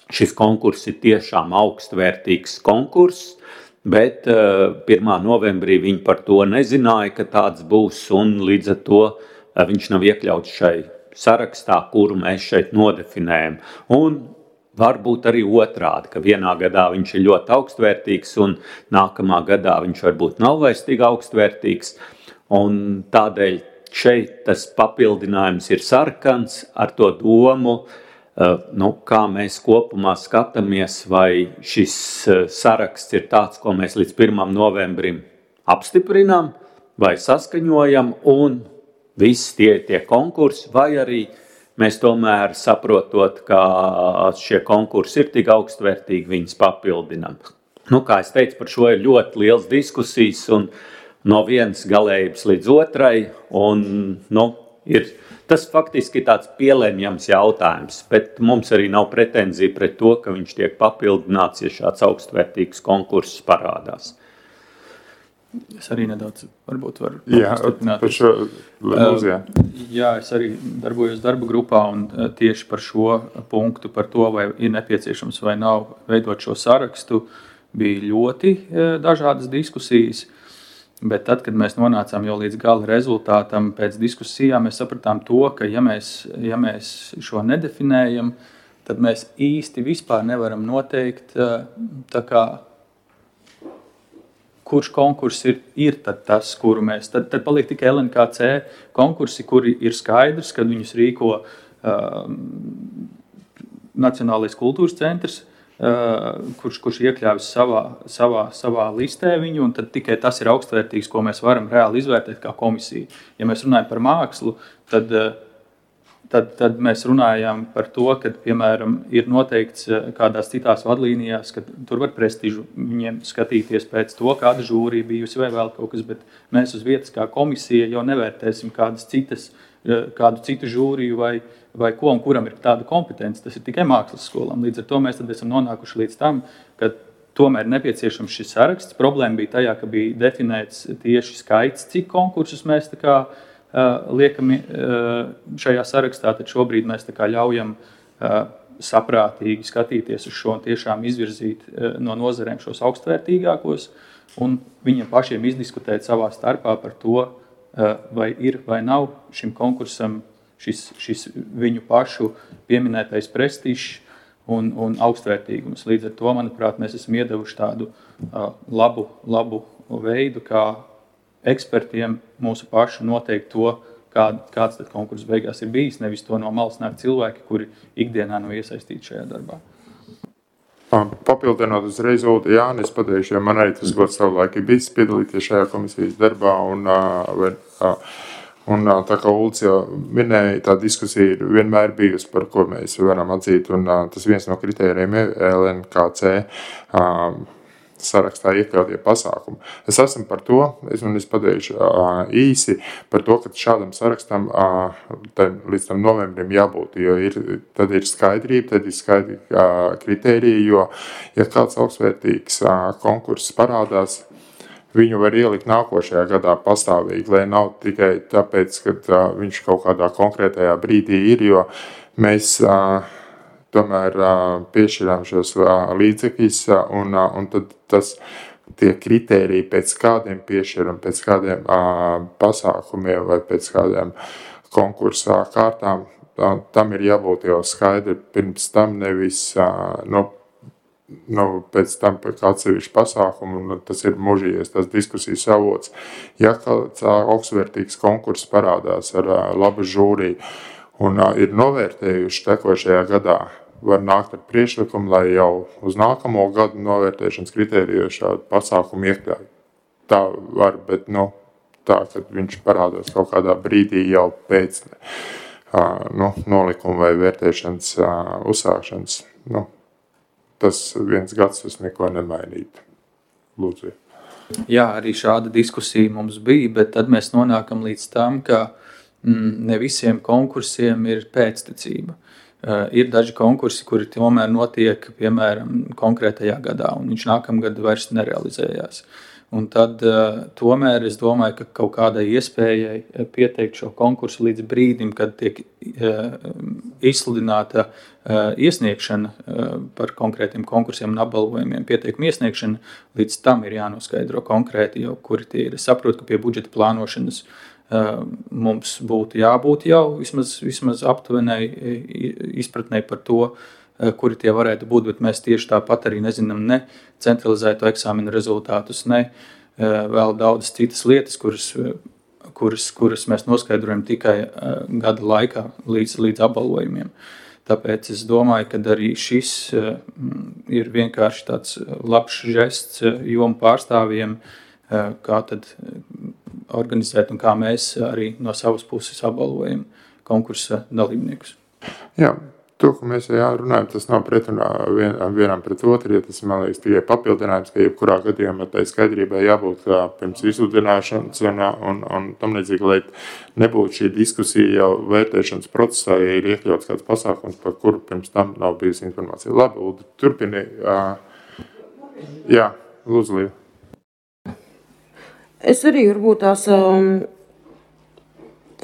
šis konkurss ir tiešām augstvērtīgs konkurss, bet 1. novembrī viņi par to nezināja, ka tāds būs, un līdz ar to viņš nav iekļauts šai sarakstā, kuru mēs šeit nodefinējam. Un varbūt arī otrādi, ka vienā gadā viņš ir ļoti augstvērtīgs, un nākamā gadā viņš varbūt nav vairs tik augstvērtīgs, un tādēļ šeit tas papildinājums ir sarkans ar to domu, kā mēs kopumā skatāmies, vai šis saraksts ir tāds, ko mēs līdz 1. novembrim apstiprinām vai saskaņojam, un viss tie konkursi, vai arī mēs tomēr saprotot, ka šie konkursi ir tik augstvērtīgi, viņus papildinām. Kā es teicu, par šo ir ļoti liels diskusijas, un no vienas galējības līdz otrai, un tas faktiski ir tāds pielēmjams jautājums, bet mums arī nav pretenzija pret to, ka viņš tiek papildināts, ja šāds augstvērtīgs konkurss parādās. Es arī nedaudz varbūt varu apstiprināt. Par šo Lūdzu. Jā, es arī darbojos darba grupā un tieši par šo punktu, par to, vai ir nepieciešams vai nav veidot šo sarakstu, bija ļoti dažādas diskusijas. Bet tad, kad mēs nonācām jau līdz gala rezultātam pēc diskusijām, mēs sapratām to, ka ja mēs šo nedefinējam, tad mēs īsti vispār nevaram noteikt tā kā kurš konkurss ir tad tas, kuru mēs, tad paliek tikai LNKC konkursi, kuri ir skaidrs, kad viņus rīko Nacionālais kultūras centrs, kurš iekļāvis savā listē viņu, un tad tikai tas ir augstvērtīgs, ko mēs varam reāli izvērtēt kā komisija. Ja mēs runājam par mākslu, tad mēs runājam par to, ka, piemēram, ir noteikts kādās citās vadlīnijās, ka tur var prestižu viņiem skatīties pēc to, kāda žūrija bijusi vai vēl kaut kas, bet mēs uz vietas kā komisija jau nevērtēsim kādu citu žūriju vai ko un kuram ir tāda kompetence. Tas ir tikai mākslas skolām. Līdz ar to mēs tad esam nonākuši līdz tam, ka tomēr nepieciešams šis saraksts. Problēma bija tajā, ka bija definēts tieši skaits, cik konkursus mēs tā kā liekam šajā sarakstā, tad šobrīd mēs tā kā ļaujam saprātīgi skatīties uz šo un tiešām izvirzīt no nozarēm šos augstvērtīgākos un viņiem pašiem izdiskutēt savā starpā par to, vai ir vai nav šim konkursam šis viņu pašu pieminētais prestižs un augstvērtīgums. Līdz ar to, manuprāt, mēs esam iedevuši tādu labu veidu, kā ekspertiem mūsu pašu noteikt to, kāds tad konkurss beigās ir bijis, nevis to no malas nāk cilvēki, kuri ikdienā nav iesaistīti šajā darbā. Papildinot uzreiz Uldi Jāni, es pateikšu, jo man arī tas gods savulaik ir bijis piedalīties šajā komisijas darbā, un tā kā Ulds jau minēja, tā diskusija ir vienmēr bijusi, par ko mēs varam atzīt, un tas viens no kritērijiem LNKC sarakstā iekļautie pasākumi. Es esmu par to, es pateikšu īsi par to, ka šādam sarakstam līdz tam novembrim jābūt, jo tad ir skaidrība, tad ir skaidri kritērija, jo, ja kāds augstvērtīgs konkurss parādās, viņu var ielikt nākošajā gadā pastāvīgi, lai nav tikai tāpēc, ka viņš kaut kādā konkrētajā brīdī ir, jo mēs tomēr piešķirām šos līdzekļus, un tad tie kritēriji pēc kādiem piešķiram, pēc kādiem pasākumiem vai pēc kādiem konkursā kārtām, tam ir jābūt jau skaidri pirms tam, nevis pēc tam pēc atsevišķu pasākumu, un tas ir mužījies, tas diskusijas avots. Ja kāds augstvērtīgs konkurss parādās ar labu žūriju un ir novērtējuši tekošajā gadā, var nākt ar priekšlikumu, lai jau uz nākamo gadu novērtēšanas kritēriju šādu pasākumu iekļauj. Tā var, bet tā, kad viņš parādās kaut kādā brīdī jau pēc nolikuma vai vērtēšanas uzsākšanas, tas viens gads tas neko nemainītu. Lūdzu. Jā, arī šāda diskusija mums bija, bet tad mēs nonākam līdz tam, ka ne visiem konkursiem ir pēctecība. Ir daži konkursi, kuri tomēr notiek, piemēram, konkrētajā gadā, un viņš nākamgad vairs nerealizējās. Un tad tomēr es domāju, ka kaut kādai iespējai pieteikt šo konkursu līdz brīdim, kad tiek izsludināta iesniegšana par konkrētiem konkursiem un apbalvojumiem, pieteikuma iesniegšana, līdz tam ir jānoskaidro konkrēti jau, kuri tie ir. Es saprotu, ka pie budžeta plānošanas mums būtu jābūt jau vismaz aptuvenai izpratnei par to, kuri tie varētu būt, bet mēs tieši tāpat arī nezinām ne centralizēto eksāmenu rezultātus, ne vēl daudzas citas lietas, kuras mēs noskaidrojam tikai gada laikā līdz apbalvojumiem. Tāpēc es domāju, ka arī šis ir vienkārši tāds labs žests jomu pārstāvjiem, kā tad organizēt un kā mēs arī no savas puses apbalvojam konkursa dalībniekus. Jā, to, ko mēs runājam, tas nav pretrunā vienam pret otru, ja tas, man liekas, tikai papildinājums, ka jebkurā gadījumā tai skaidrībai jābūt pirms izsludināšanas un tam līdzīgi, lai nebūtu šī diskusija jau vērtēšanas procesā, ja ir iekļauts kāds pasākums, par kuru pirms tam nav bijusi informācija. Labi, Uldi, turpini. Jā, lūdzu, Līva. Es arī varbūt tās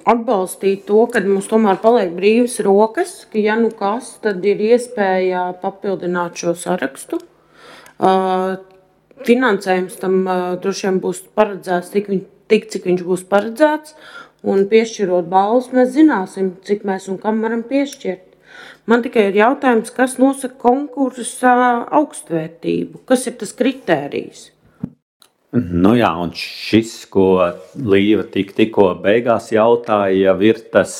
atbalstītu to, ka mums tomēr paliek brīvas rokas, ka ja nu kas, tad ir iespēja papildināt šo sarakstu. Finansējums tam droši vien būs paredzēts tik, cik viņš būs paredzēts, un piešķirot balvas, mēs zināsim, cik mēs un kam varam piešķirt. Man tikai ir jautājums, kas nosaka konkursa augstvērtību, kas ir tas kritērijs? Nu jā, un šis, ko Līva tikko beigās jautāja, jau ir tas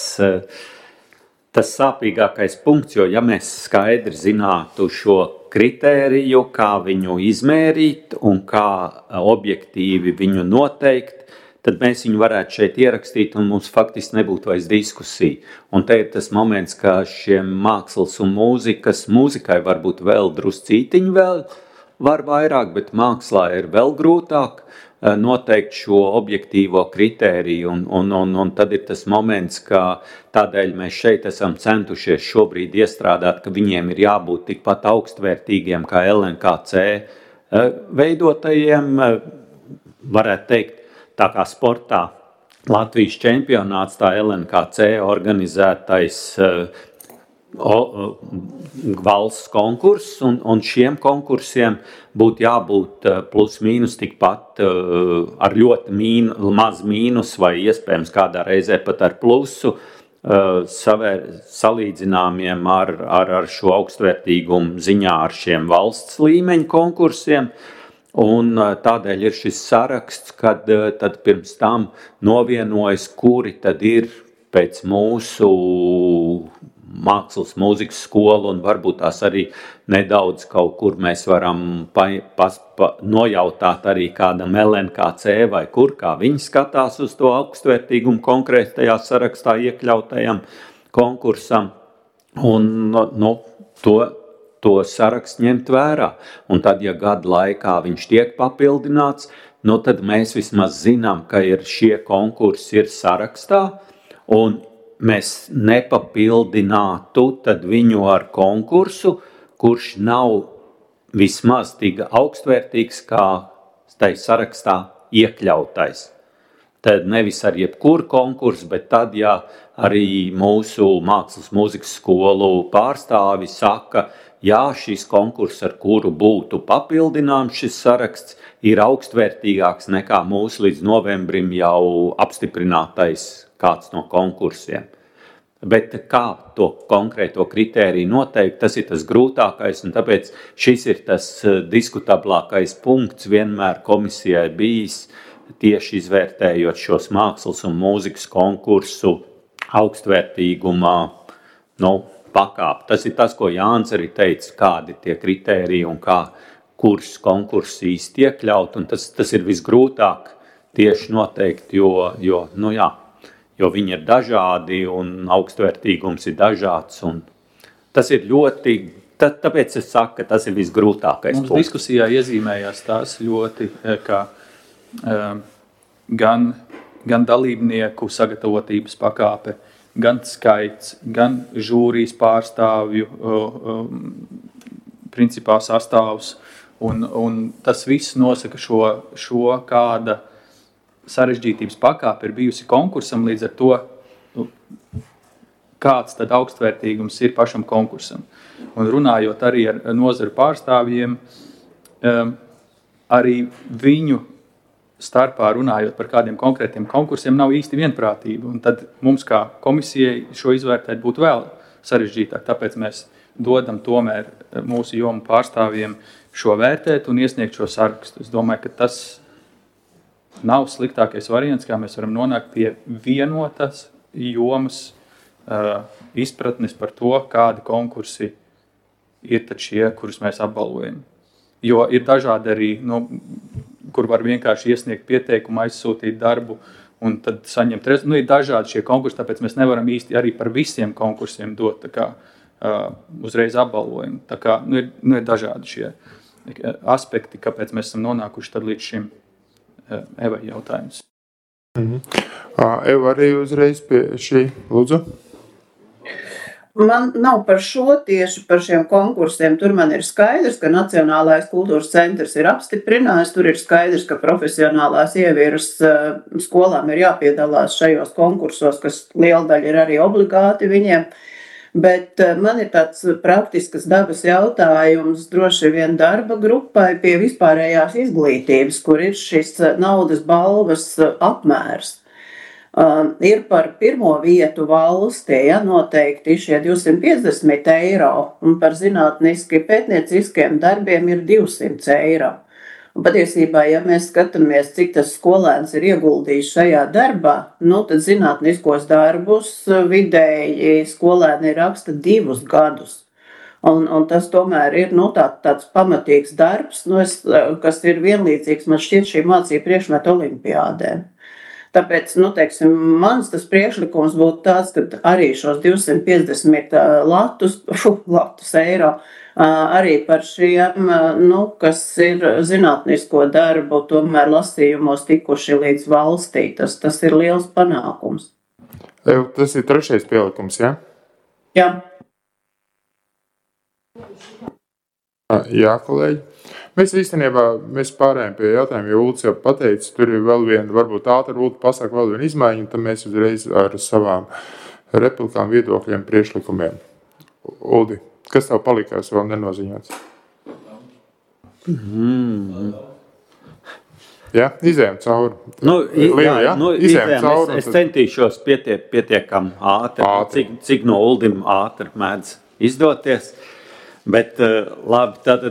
sāpīgākais punkts, jo ja mēs skaidri zinātu šo kritēriju, kā viņu izmērīt un kā objektīvi viņu noteikt, tad mēs viņu varētu šeit ierakstīt un mums faktiski nebūtu vairs diskusija. Un te ir tas moments, ka šiem mākslas un mūzikai varbūt vēl druscītiņi vēl var vairāk, bet mākslā ir vēl grūtāk noteikt šo objektīvo kritēriju. Un tad ir tas moments, ka tādēļ mēs šeit esam centušies šobrīd iestrādāt, ka viņiem ir jābūt tikpat augstvērtīgiem kā LNKC veidotajiem, varētu teikt, tā kā sportā Latvijas čempionāts, tā LNKC organizētais valsts konkurss, un šiem konkursiem būtu jābūt plus mīnus tikpat ar ļoti maz mīnus vai iespējams kādā reizē pat ar plusu salīdzināmiem ar šo augstvērtīgumu ziņā ar šiem valsts līmeņa konkursiem. Un tādēļ ir šis saraksts, kad tad pirms tam novienojas, kuri tad ir pēc mūsu mākslas mūzikas skolu, un varbūt tās arī nedaudz kaut kur mēs varam nojautāt arī kādam LNKC vai kur, kā viņi skatās uz to augstvērtīgumu konkrētajā sarakstā iekļautajam konkursam. Un to sarakstu ņemt vērā. Un tad, ja gadu laikā viņš tiek papildināts, tad mēs vismaz zinām, ka šie konkursi ir sarakstā, un mēs nepapildinātu tad viņu ar konkursu, kurš nav vismaz tik augstvērtīgs kā tai sarakstā iekļautais. Tad nevis ar jebkuru konkursu, bet tad, ja arī mūsu mākslas mūzikas skolu pārstāvi saka, jā, šis konkurss, ar kuru būtu papildināms šis saraksts, ir augstvērtīgāks nekā mūsu līdz novembrim jau apstiprinātais kāds no konkursiem. Bet kā to konkrēto kritēriju noteikt, tas ir tas grūtākais, un tāpēc šis ir tas diskutablākais punkts vienmēr komisijai bijis, tieši izvērtējot šos mākslas un mūzikas konkursu augstvērtīgumā, pakāp. Tas ir tas, ko Jānis arī teica, kādi tie kritēriji un kurš konkurss īsti iekļaut, un tas ir visgrūtāk tieši noteikt, jo viņi ir dažādi un augstvērtīgums ir dažāds, un tas ir ļoti, tāpēc es saku, ka tas ir visgrūtākais punkts. Mums diskusijā iezīmējās tās ļoti, ka gan dalībnieku sagatavotības pakāpe, gan skaits, gan žūrijas pārstāvju principā sastāvs, un tas viss nosaka šo kāda sarežģītības pakāpe ir bijusi konkursam, līdz ar to, kāds tad augstvērtīgums ir pašam konkursam. Un runājot arī ar nozaru pārstāvjiem, arī viņu starpā runājot par kādiem konkrētiem konkursiem nav īsti vienprātība, un tad mums kā komisijai šo izvērtēt būtu vēl sarežģītāk, tāpēc mēs dodam tomēr mūsu jomu pārstāvjiem šo vērtēt un iesniegt šo sarakstu. Es domāju, ka tas nav sliktākais variants, kā mēs varam nonākt pie vienotas jomas izpratnes par to, kādi konkursi ir tad šie, kurus mēs apbalvojam. Jo ir dažādi arī, kur var vienkārši iesniegt pieteikumu, aizsūtīt darbu un tad saņemt rezultātu. Ir dažādi šie konkursi, tāpēc mēs nevaram īsti arī par visiem konkursiem dot uzreiz apbalvojumu. Tā kā ir dažādi šie aspekti, kāpēc mēs esam nonākuši tad līdz šim Evai jautājums. Eva arī uzreiz pie šī, lūdzu. Man nav par šo tieši par šiem konkursiem. Tur man ir skaidrs, ka Nacionālais kultūras centrs ir apstiprinājis. Tur ir skaidrs, ka profesionālās ievieras skolām ir jāpiedalās šajos konkursos, kas liela daļa ir arī obligāti viņiem. Bet man ir tāds praktiskas dabas jautājums droši vien darba grupai pie vispārējās izglītības, kur ir šis naudas balvas apmērs. Ir par pirmo vietu valstī noteikti šie 250 eiro, un par zinātniski pētnieciskiem darbiem ir 200 eiro. Un patiesībā, ja mēs skatāmies, cik tas skolēns ir ieguldījis šajā darbā, tad zinātniskos darbus vidēji skolēni raksta 2 gadus. Un tas tomēr ir tāds pamatīgs darbs, kas ir vienlīdzīgs, man šķiet, šī mācība priekšmeta olimpiādēm. Tāpēc, teiksim, mans tas priekšlikums būtu tāds, ka arī šos 250 latus eiro arī par šiem, kas ir zinātnisko darbu, tomēr lasījumos tikuši līdz valstī. Tas ir liels panākums. Tas ir 3. pielikums, ja? Jā. Jā, kolēģi. Mēs īstenībā pārējām pie jautājuma, jo Ulds jau pateica, tur ir vēl viena, varbūt ātri Ulds pasaka vēl viena izmaiņa, un tad mēs uzreiz ar savām replikām, viedokļiem, priekšlikumiem. Uldi, kas tev palikās vēl nenoziņots? Jā, izējām cauri. Es centīšos pietiekam ātri. Cik no Uldim ātri mēdz izdoties. Bet labi, tad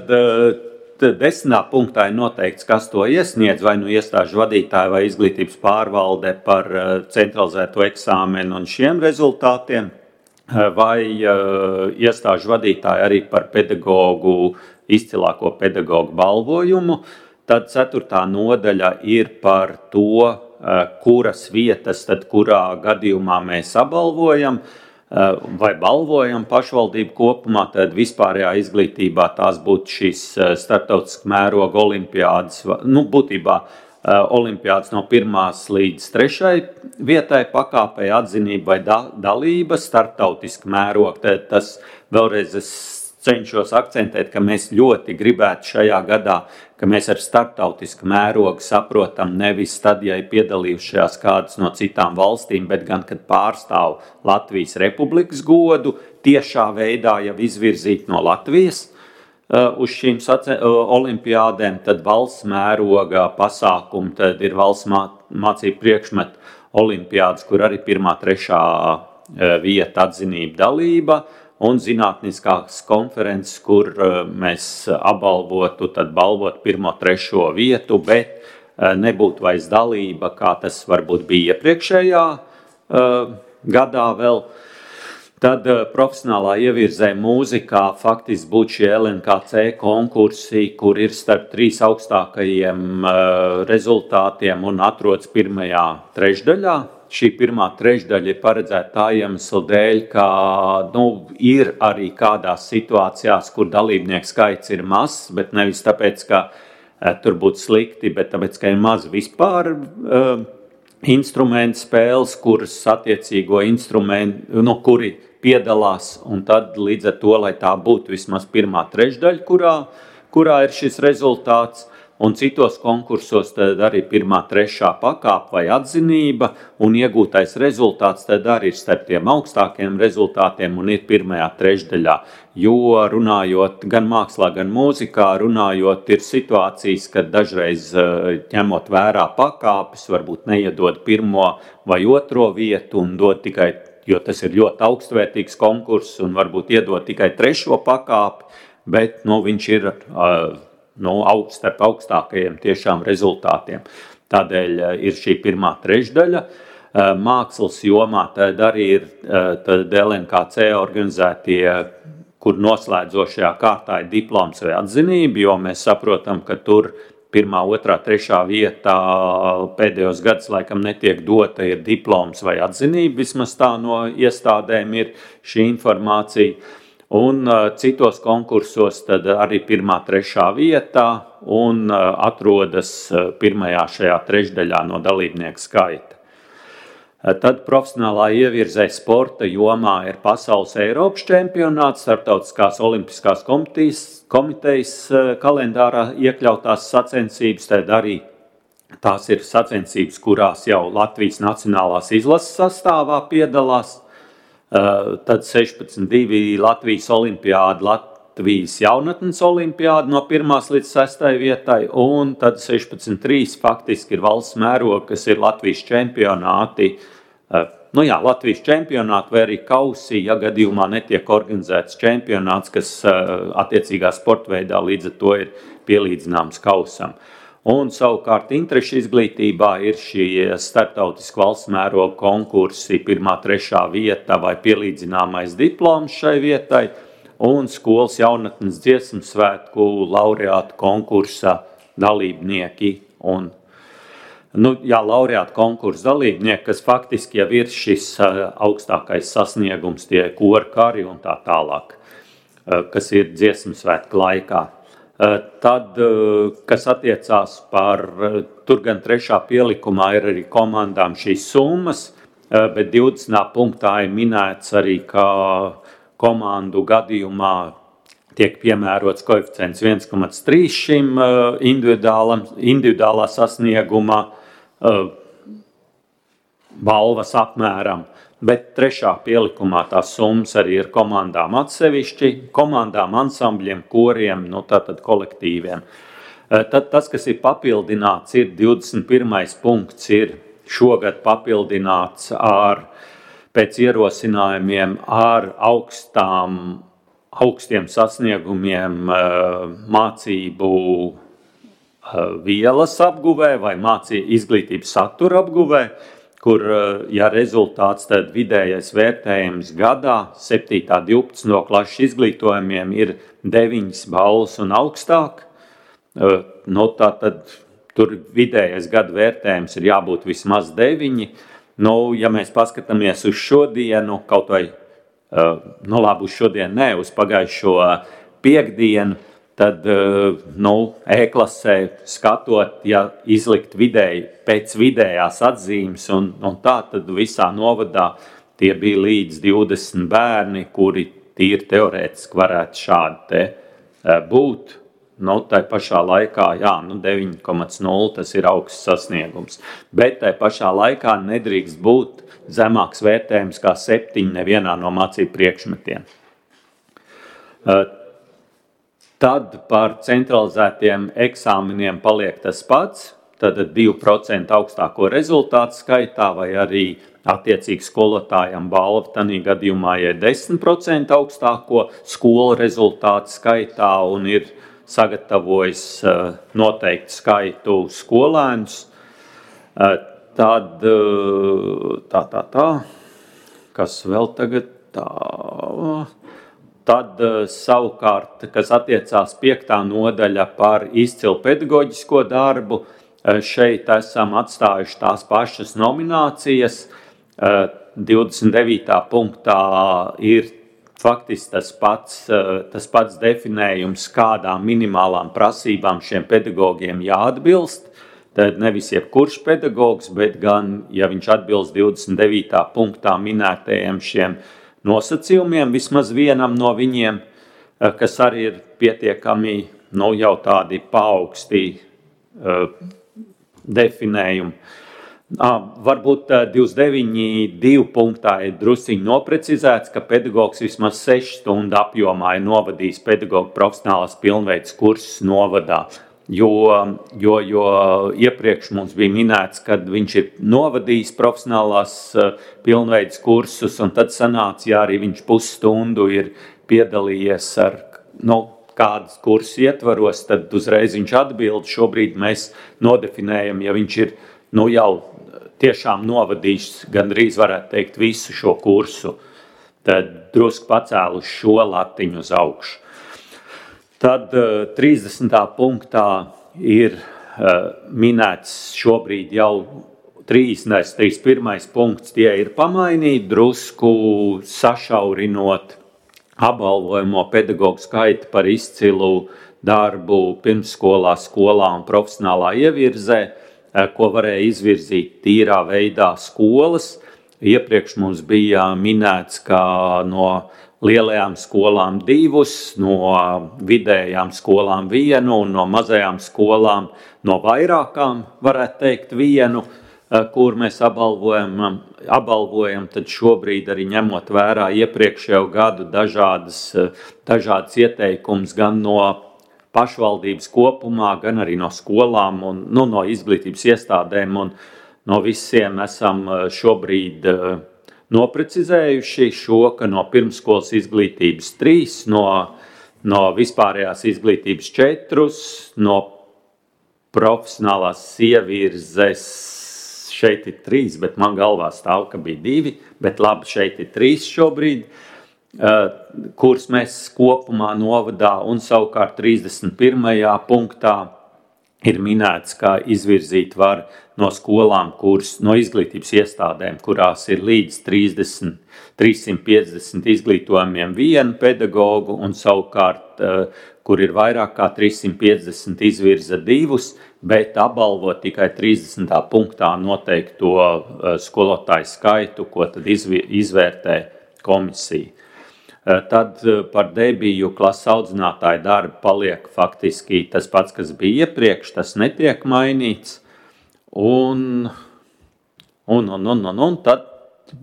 10. punktā ir noteikts, kas to iesniedz, vai iestāžu vadītāji vai izglītības pārvalde par centralizēto eksāmenu un šiem rezultātiem, vai iestāžu vadītāji arī par izcilāko pedagogu balvojumu. Tad 4. nodaļa ir par to, kuras vietas, tad kurā gadījumā mēs apbalvojam, vai balvojam pašvaldību kopumā, tad vispārējā izglītībā tās būtu šīs starptautiskā mēroga olimpiādas, būtībā olimpiādas no 1. līdz 3. vietai pakāpei atzinība vai dalība, starptautiskā mēroga. Tad tas vēlreiz es cenšos akcentēt, ka mēs ļoti gribētu šajā gadā, ka mēs ar starptautisku mērogu saprotam nevis tad, ja ir piedalījušās kādas no citām valstīm, bet gan, kad pārstāv Latvijas Republikas godu, tiešā veidā jau izvirzīt no Latvijas uz šīm olimpiādēm, tad valsts mēroga pasākumi, tad ir valsts mācību priekšmetu olimpiādas, kur arī 1., 3. vieta atzinība dalība, un zinātniskās konferences, kur mēs apbalvotu, tad balvot 1., 3. vietu, bet nebūtu vairs dalība, kā tas varbūt bija iepriekšējā gadā vēl. Tad profesionālā ievirzē mūzikā faktiski būtu šie LNKC konkursi, kur ir starp 3 augstākajiem rezultātiem un atrodas 1. trešdaļā. Šī 1. trešdaļa ir paredzēta tā iemesla dēļ, ka ir arī kādās situācijās, kur dalībnieku skaits ir mazs, bet nevis tāpēc, ka tur būtu slikti, bet tāpēc, ka ir maz vispār instrumentu spēles, kuras attiecīgo instrumentu, kuri piedalās, un tad līdz ar to, lai tā būtu vismaz 1. trešdaļa, kurā ir šis rezultāts. Un citos konkursos tad arī 1., 3. pakāpe vai atzinība, un iegūtais rezultāts tad arī ir starp tiem augstākiem rezultātiem un ir 1. trešdaļā. Jo runājot gan mākslā, gan mūzikā, runājot ir situācijas, kad dažreiz ņemot vērā pakāpes, varbūt neiedod 1. vai 2. vietu un dod tikai, jo tas ir ļoti augstvērtīgs konkurss un varbūt iedod tikai 3. pakāpi, bet viņš ir starp augstākajiem tiešām rezultātiem. Tādēļ ir šī 1. trešdaļa. Mākslas jomā tad arī ir LNKC organizētie, kur noslēdzošajā kārtā ir diploms vai atzinība, jo mēs saprotam, ka tur 1., 2., 3. vietā pēdējos gadus laikam netiek dota ir diploms vai atzinība, vismaz tā no iestādēm ir šī informācija. Un citos konkursos tad arī 1., 3. vietā un atrodas 1. šajā trešdaļā no dalībnieku skaita. Tad profesionālā ievirzē sporta jomā ir pasaules Eiropas čempionāts, starptautiskās olimpiskās komitejas kalendārā iekļautās sacensības, tad arī tās ir sacensības, kurās jau Latvijas nacionālās izlases sastāvā piedalās. Tad 16.2 Latvijas olimpiāda, Latvijas jaunatnes olimpiāda no 1. līdz 6. vietai, un tad 16.3 faktiski ir valsts mēroga, kas ir Latvijas čempionāti. Latvijas čempionāti vai arī kausi, ja gadījumā netiek organizēts čempionāts, kas attiecīgā sportveidā līdz ar to ir pielīdzināms kausam. Un savukārt interešu izglītībā ir šie starptautiski valsts mēroga konkursi, 1., 3. vieta vai pielīdzināmais diploms šai vietai, un skolas jaunatnes dziesmu svētku laureātu konkursa dalībnieki. Un, laureātu konkursa dalībnieki, kas faktiski jau ir šis augstākais sasniegums, tie kora kari un tā tālāk, kas ir dziesmu svētku laikā. Tad, kas attiecās par, tur gan 3. pielikumā ir arī komandām šīs summas, bet 20. punktā ir minēts arī, ka komandu gadījumā tiek piemērots koeficients 1,3 šim individuālā sasnieguma balvas apmēram. Bet 3. pielikumā tās summas arī ir komandām atsevišķi, komandām, ansambļiem, koriem, tātad kolektīviem. Tad tas, kas ir papildināts, ir 21. punkts, ir šogad papildināts pēc ierosinājumiem ar augstiem sasniegumiem mācību vielas apguvē vai izglītības satura apguvē, kur, ja rezultāts, tad vidējais vērtējums gadā 7. 12. klases izglītojumiem ir 9 balvas un augstāk, tad tur vidējais gada vērtējums ir jābūt vismaz 9. Ja mēs paskatāmies uz šodienu, kaut vai, uz šodienu ne, uz pagājušo piekdienu, tad E-klasē skatot, ja izlikt pēc vidējās atzīmes un tā, tad visā novadā tie bija līdz 20 bērni, kuri tīri teorētiski varētu šādi te būt. Tai pašā laikā, 9,0 tas ir augsts sasniegums, bet tai pašā laikā nedrīkst būt zemāks vērtējums kā 7 nevienā no mācību priekšmetiem. Tad par centralizētiem eksāmeniem paliek tas pats, tad 2% augstāko rezultātu skaitā vai arī attiecīgi skolotājam balva tanī gadījumā ir 10% augstāko skolu rezultātu skaitā un ir sagatavojis noteiktu skaitu skolēnus. Tad kas vēl tagad tā... Tad savukārt, kas attiecās 5. nodaļa par izcilu pedagoģisko darbu, šeit esam atstājuši tās pašas nominācijas. 29. punktā ir faktiski tas pats definējums, kādām minimālām prasībām šiem pedagogiem jāatbilst. Tad nevis jebkurš pedagogs, bet gan, ja viņš atbilst 29. punktā minētajiem šiem nosacījumiem, vismaz vienam no viņiem, kas arī ir pietiekami jau tādi paaugstī definējumi. Varbūt 29.2 punktā ir drusciņi noprecizēts, ka pedagogs vismaz 6 stundu apjomā ir novadījis pedagoga profesionālās pilnveides kursus novadā. Jo iepriekš mums bija minēts, kad viņš ir novadījis profesionālās pilnveides kursus, un tad sanāca, ja arī viņš pusstundu ir piedalījies ar kādas kursus ietvaros, tad uzreiz viņš atbild. Šobrīd mēs nodefinējam, ja viņš ir jau tiešām novadījis, gandrīz varētu teikt, visu šo kursu, tad drusku pacēlu šo latiņu uz augšu. Tad 30. punktā ir minēts šobrīd jau 31. punkts, tie ir pamainīti, drusku sašaurinot apbalvojamo pedagogu skaitu par izcilu darbu pirmsskolā, skolā un profesionālā ievirzē, ko varēja izvirzīt tīrā veidā skolas. Iepriekš mums bija minēts, ka no lielajām skolām 2, no vidējām skolām 1 un no mazajām skolām no vairākām, varētu teikt, 1, kur mēs apbalvojam, tad šobrīd arī ņemot vērā iepriekšējo gadu dažādas ieteikums gan no pašvaldības kopumā, gan arī no skolām un no izglītības iestādēm un no visiem esam šobrīd noprecizējuši šo, ka no pirmsskolas izglītības 3, no no vispārējās izglītības 4, no profesionālās ievirzes šeit ir 3, bet man galvā stāv, ka bija 2, bet labi, šeit ir 3 šobrīd, kurus mēs kopumā novadā, un savukārt 31. punktā ir minēts, ka izvirzīt var no skolām, no izglītības iestādēm, kurās ir līdz 350 izglītojumiem 1 pedagogu, un savukārt, kur ir vairāk kā 350 izvirza 2, bet apbalvo tikai 30. punktā noteikto skolotāju skaitu, ko tad izvērtē komisija. Tad par debiju klases audzinātāju darbu paliek faktiski tas pats, kas bija iepriekš, tas netiek mainīts. Un tad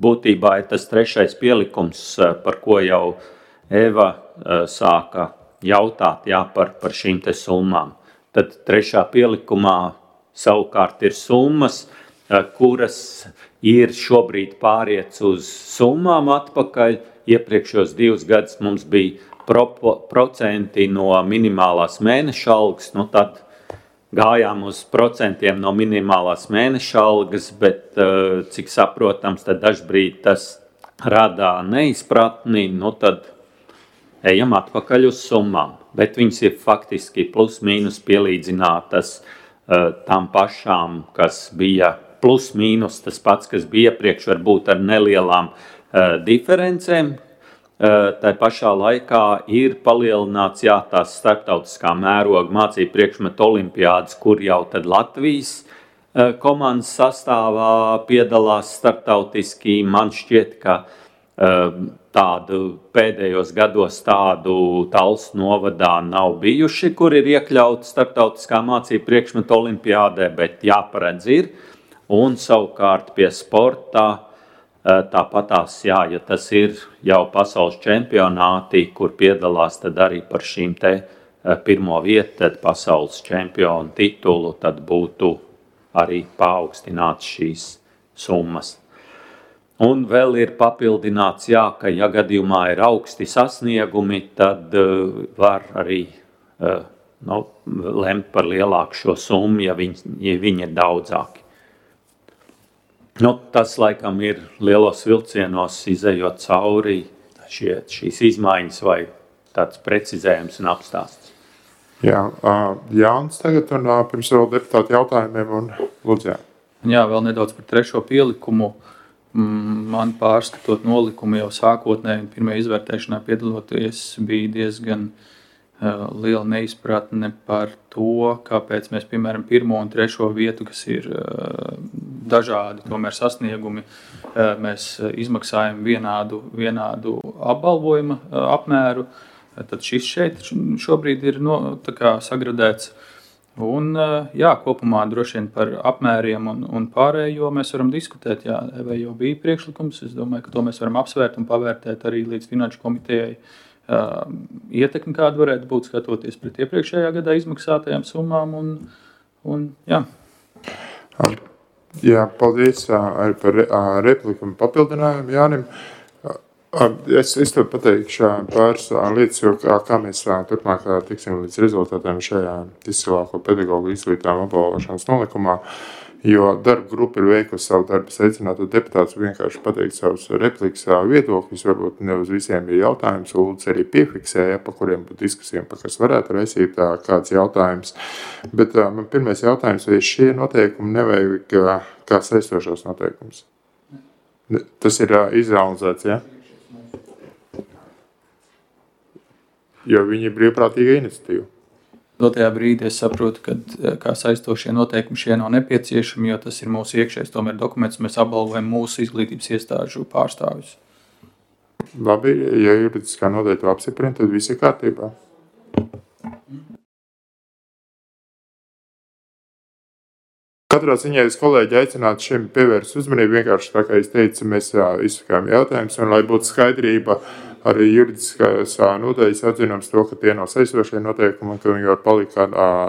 būtībā ir tas 3. pielikums, par ko jau Eva sāka jautāt, par šīm te summām. Tad 3. pielikumā savukārt ir summas, kuras ir šobrīd pāriets uz summām atpakaļ. Iepriekšos 2 gadus mums bija procenti no minimālās mēneša algas, tad gājām uz procentiem no minimālās mēneša algas, bet, cik saprotams, tad dažbrīd tas rada neizpratni, tad ejam atpakaļ uz summām. Bet viņas ir faktiski plus mīnus pielīdzinātas tam pašām, kas bija plus mīnus, tas pats, kas bija iepriekš, varbūt ar nelielām diferencēm. Tā pašā laikā ir palielināts tās starptautiskā mēroga mācību priekšmetu olimpiādas, kur jau tad Latvijas komandas sastāvā piedalās starptautiski. Man šķiet, ka tādu pēdējos gados tādu Talsu novadā nav bijuši, kur ir iekļauti starptautiskā mācību priekšmetu olimpiādē, bet jāparedz ir. Un savukārt pie sportā tāpatās, ja tas ir jau pasaules čempionāti, kur piedalās tad arī par šīm te 1. vietu, tad pasaules čempionu titulu, tad būtu arī paaugstināts šīs summas. Un vēl ir papildināts, ka ja gadījumā ir augsti sasniegumi, tad var arī lemt par lielāku šo summu, ja viņi ir daudzāki. Tas laikam ir lielos vilcienos izejot cauri šīs izmaiņas vai tāds precizējums un apstāsts. Jā, Jānis tagad un pirms vēl deputāti jautājumiem un lūdzu. Jā, vēl nedaudz par 3. pielikumu. Man pārskatot nolikumu jau sākotnēji un pirmajā izvērtēšanā piedaloties bija diezgan liela neizpratne par to, kāpēc mēs, piemēram, 1. un 3. vietu, kas ir dažādi tomēr sasniegumi, mēs izmaksājam vienādu apbalvojuma apmēru. Tad šis šeit šobrīd ir sagradēts. Un, kopumā droši vien par apmēriem un pārējo mēs varam diskutēt. Vai jau bija priekšlikums, es domāju, ka to mēs varam apsvērt un pavērtēt arī līdz Finanšu komitejai. Ietekmi, kāda varētu būt skatoties pret iepriekšējā gadā izmaksātajām summām. Jā, paldies arī par repliku un papildinājumu Jānim. Es tev pateikšu pāris lietas, jo kā mēs turpmāk tiksim līdz rezultātiem šajā izcilāko pedagogu izglītām apbalvošanas nolikumā, jo darba grupa ir veikusi savu darbu, aicinātu deputātus vienkārši pateikt savus replikas, viedokļus, varbūt ne uz visiem ir jautājums, Ulds arī piefiksēja, pa kuriem būtu diskusijām, pa kas varētu raisīt kāds jautājums. Bet man pirmais jautājums, vai šie noteikumi nevajag kā saistošos noteikums? Tas ir izrealizēts, ja? Jo viņi ir brīvprātīga iniciatīva. Dotajā brīdī es saprotu, ka kā saistošie noteikumi šie nav nepieciešami, jo tas ir mūsu iekšējais tomēr dokuments, mēs apbalvojam mūsu izglītības iestāžu pārstāvjus. Labi, ja juridiskā nodaļa to apstiprina, tad viss ir kārtībā. Katrā ziņā es kolēģi aicinātu šiem pievērst uzmanību, vienkārši tā kā es teicu, mēs izsakām jautājumus, un lai būtu skaidrība, arī juridiskās nodaļas atzinums to, ka tie nav saistošie noteikumi, ka viņi var palikt kā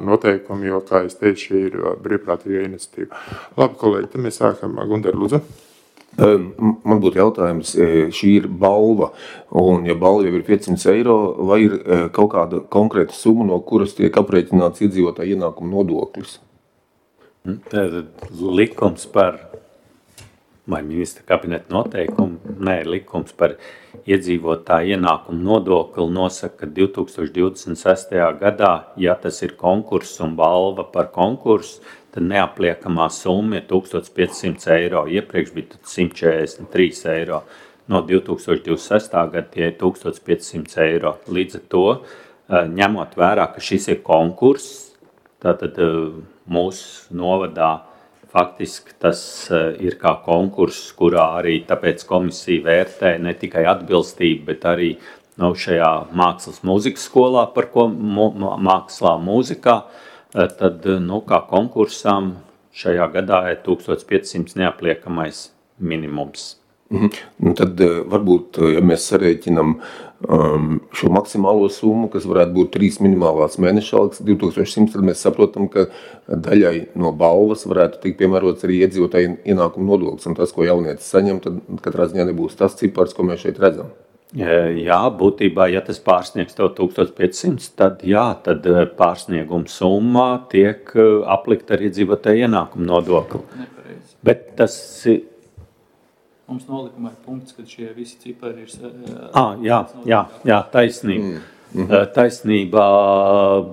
noteikumi, jo, kā es teicu, šī ir brīvprātīga iniciatīva. Labi, kolēģi, tad mēs sākam. Gundar, lūdzu. Man būtu jautājums, šī ir balva, un ja balva jau ir 500 eiro, vai ir kaut kāda konkrēta summa, no kuras tiek aprēķināts iedzīvotāju ienākumu nodoklis? Likums par, vai ministra kabineta noteikumu, likums par iedzīvotāju ienākumu nodokli nosaka, ka 2026. gadā, ja tas ir konkurss un balva par konkursu, tad neapliekamā summa ir 1500 eiro. Iepriekš bija 143 eiro. No 2026. gada tie ir 1500 eiro. Līdz ar to, ņemot vērā, ka šis ir konkurss, tātad mūsu novadā faktiski tas ir kā konkurss, kurā arī tāpēc komisija vērtē ne tikai atbilstību, bet arī šajā mākslas mūzikas skolā, par ko mākslā mūzikā, tad kā konkursām šajā gadā ir 1500 neapliekamais minimums. Tad varbūt, ja mēs sarēķinam šo maksimālo summu, kas varētu būt 3 minimālās mēneša algas, 2100, tad mēs saprotam, ka daļai no balvas varētu tikt piemērots arī iedzīvotāju ienākumu nodoklis, un tas, ko jaunietis saņem, tad katrā ziņā nebūs tas cipars, ko mēs šeit redzam. Jā, būtībā, ja tas pārsniegs to 1500, tad pārsnieguma summa tiek aplikta ar iedzīvotāju ienākumu nodokli. Nepareizi. Bet tas ir... Mums nolikumā ir punkts, kad šie visi cipari ir... Jā, taisnība. Taisnībā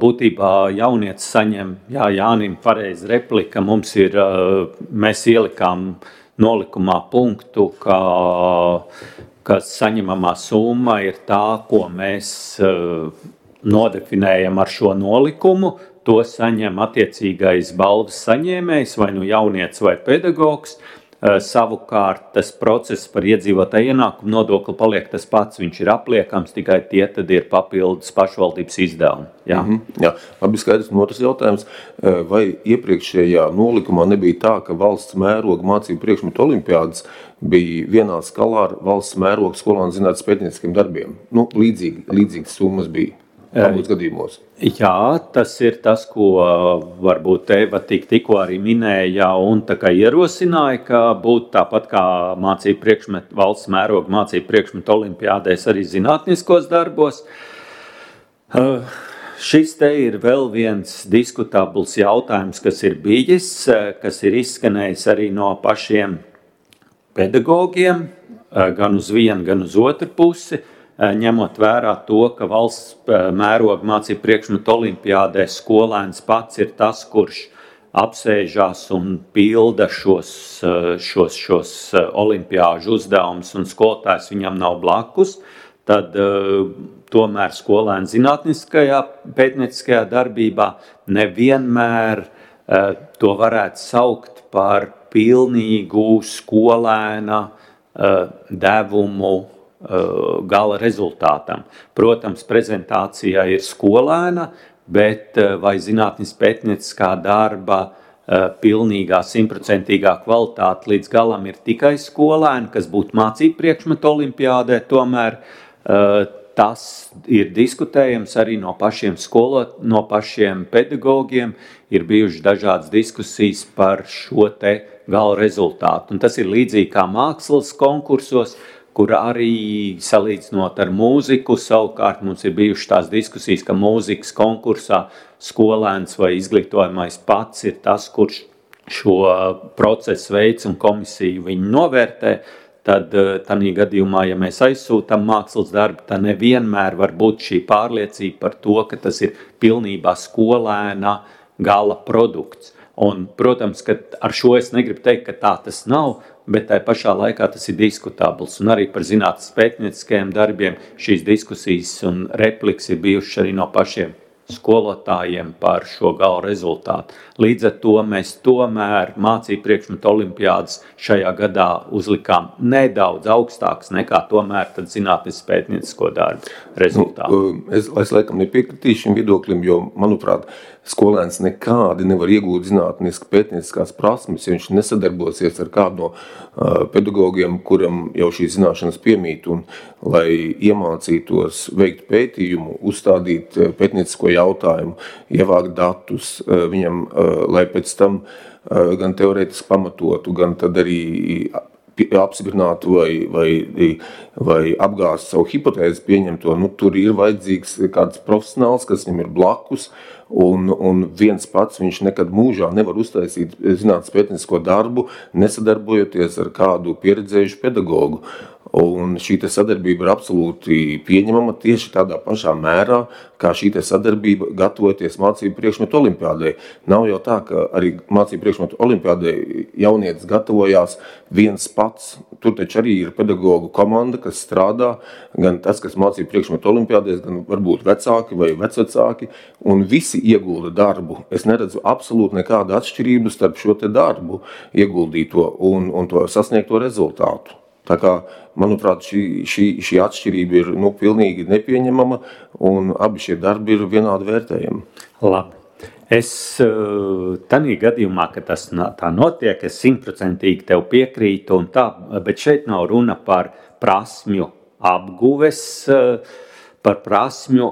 būtībā jaunietis saņem, Jānim pareizi replika, mēs ielikām nolikumā punktu, ka saņemamā summa ir tā, ko mēs nodefinējam ar šo nolikumu, to saņem attiecīgais balvas saņēmējs, vai jaunietis vai pedagogs. Savukārt tas process par iedzīvotāju ienākumu nodokli paliek tas pats, viņš ir apliekams, tikai tie tad ir papildus pašvaldības izdevumi. Jā, labi skaidrs. Un otrs jautājums, vai iepriekšējā nolikumā nebija tā, ka valsts mēroga mācību priekšmetu olimpiādas bija vienā skalā ar valsts mēroga skolānu zinātnes pētnieciskiem darbiem? Līdzīgas summas bija. Gadījumos. Jā, tas ir tas, ko varbūt Eva tikko arī minēja un tā kā ierosināja, ka būtu tāpat kā mācību priekšmetu, valsts mēroga mācību priekšmetu olimpiādēs arī zinātniskos darbos. Šis te ir vēl viens diskutabls jautājums, kas ir bijis, kas ir izskanējis arī no pašiem pedagogiem, gan uz vienu, gan uz otru pusi. Ņemot vērā to, ka valsts mēroga mācību priekšmetu olimpiādē skolēns pats ir tas, kurš apsēžās un pilda šos olimpiāžu uzdevumus un skolotājs viņam nav blakus, tad tomēr skolēns zinātniskajā pētnieciskajā darbībā nevienmēr to varētu saukt par pilnīgu skolēna devumu gala rezultātam. Protams, prezentācijā ir skolēna, bet vai zinātnes pētnieciskā darba pilnīgā, 100% kvalitāte līdz galam ir tikai skolēni, kas būtu mācību priekšmetu olimpiādē, tomēr tas ir diskutējams arī no pašiem pedagogiem, ir bijušas dažādas diskusijas par šo te gala rezultātu. Un tas ir līdzīgi kā mākslas konkursos, kur arī salīdzinot ar mūziku, savukārt mums ir bijušas tās diskusijas, ka mūzikas konkursā skolēns vai izglītojamais pats ir tas, kurš šo procesu veids un komisiju viņu novērtē, tad tādā gadījumā, ja mēs aizsūtam mākslas darbu, tad nevienmēr var būt šī pārliecība par to, ka tas ir pilnībā skolēna gala produkts. Un, protams, ka ar šo es negribu teikt, ka tā tas nav, bet tai pašā laikā tas ir diskutabls. Un arī par zinātnes pētnieciskajiem darbiem šīs diskusijas un repliks ir bijušas arī no pašiem skolotājiem par šo gala rezultātu. Līdz ar to mēs tomēr mācību priekšmetu olimpiādas šajā gadā uzlikām nedaudz augstāks nekā tomēr tad zinātnes pētniecisko darbu rezultātu. Es laikam nepiekritīšu šim viedoklim, jo, manuprāt, skolēns nekādi nevar iegūt zinātniski pētnieciskās prasmes, ja viņš nesadarbosies ar kādu no pedagogiem, kuram jau šīs zināšanas piemīt, un lai iemācītos veikt pētījumu, uzstādīt pētniecisko jautājumu, ievākt datus viņam, lai pēc tam gan teorētiski pamatotu, gan tad arī apstiprinātu vai apgāstu savu hipotēzi pieņemto, tur ir vajadzīgs kāds profesionāls, kas viņam ir blakus, un viens pats viņš nekad mūžā nevar uztaisīt zinātnes pētniecisko darbu, nesadarbojoties ar kādu pieredzējušu pedagogu. Un šī sadarbība ir absolūti pieņemama tieši tādā pašā mērā, kā šī sadarbība gatavoties mācību priekšmetu olimpiādei. Nav jau tā, ka arī mācību priekšmetu olimpiādei jaunietis gatavojās viens pats. Tur taču arī ir pedagogu komanda, kas strādā, gan tas, kas mācību priekšmetu olimpiādēs, gan varbūt vecāki vai vecvecāki, un visi iegulda darbu. Es neredzu absolūti nekādu atšķirību starp šo darbu ieguldīto un to sasniegto rezultātu. Tā kā, manuprāt, šī atšķirība ir pilnīgi nepieņemama, un abi šie darbi ir vienādi vērtējami. Labi. Es tādā gadījumā, ka tas tā notiek, es 100% tev piekrītu, un tā, bet šeit nav runa par prasmju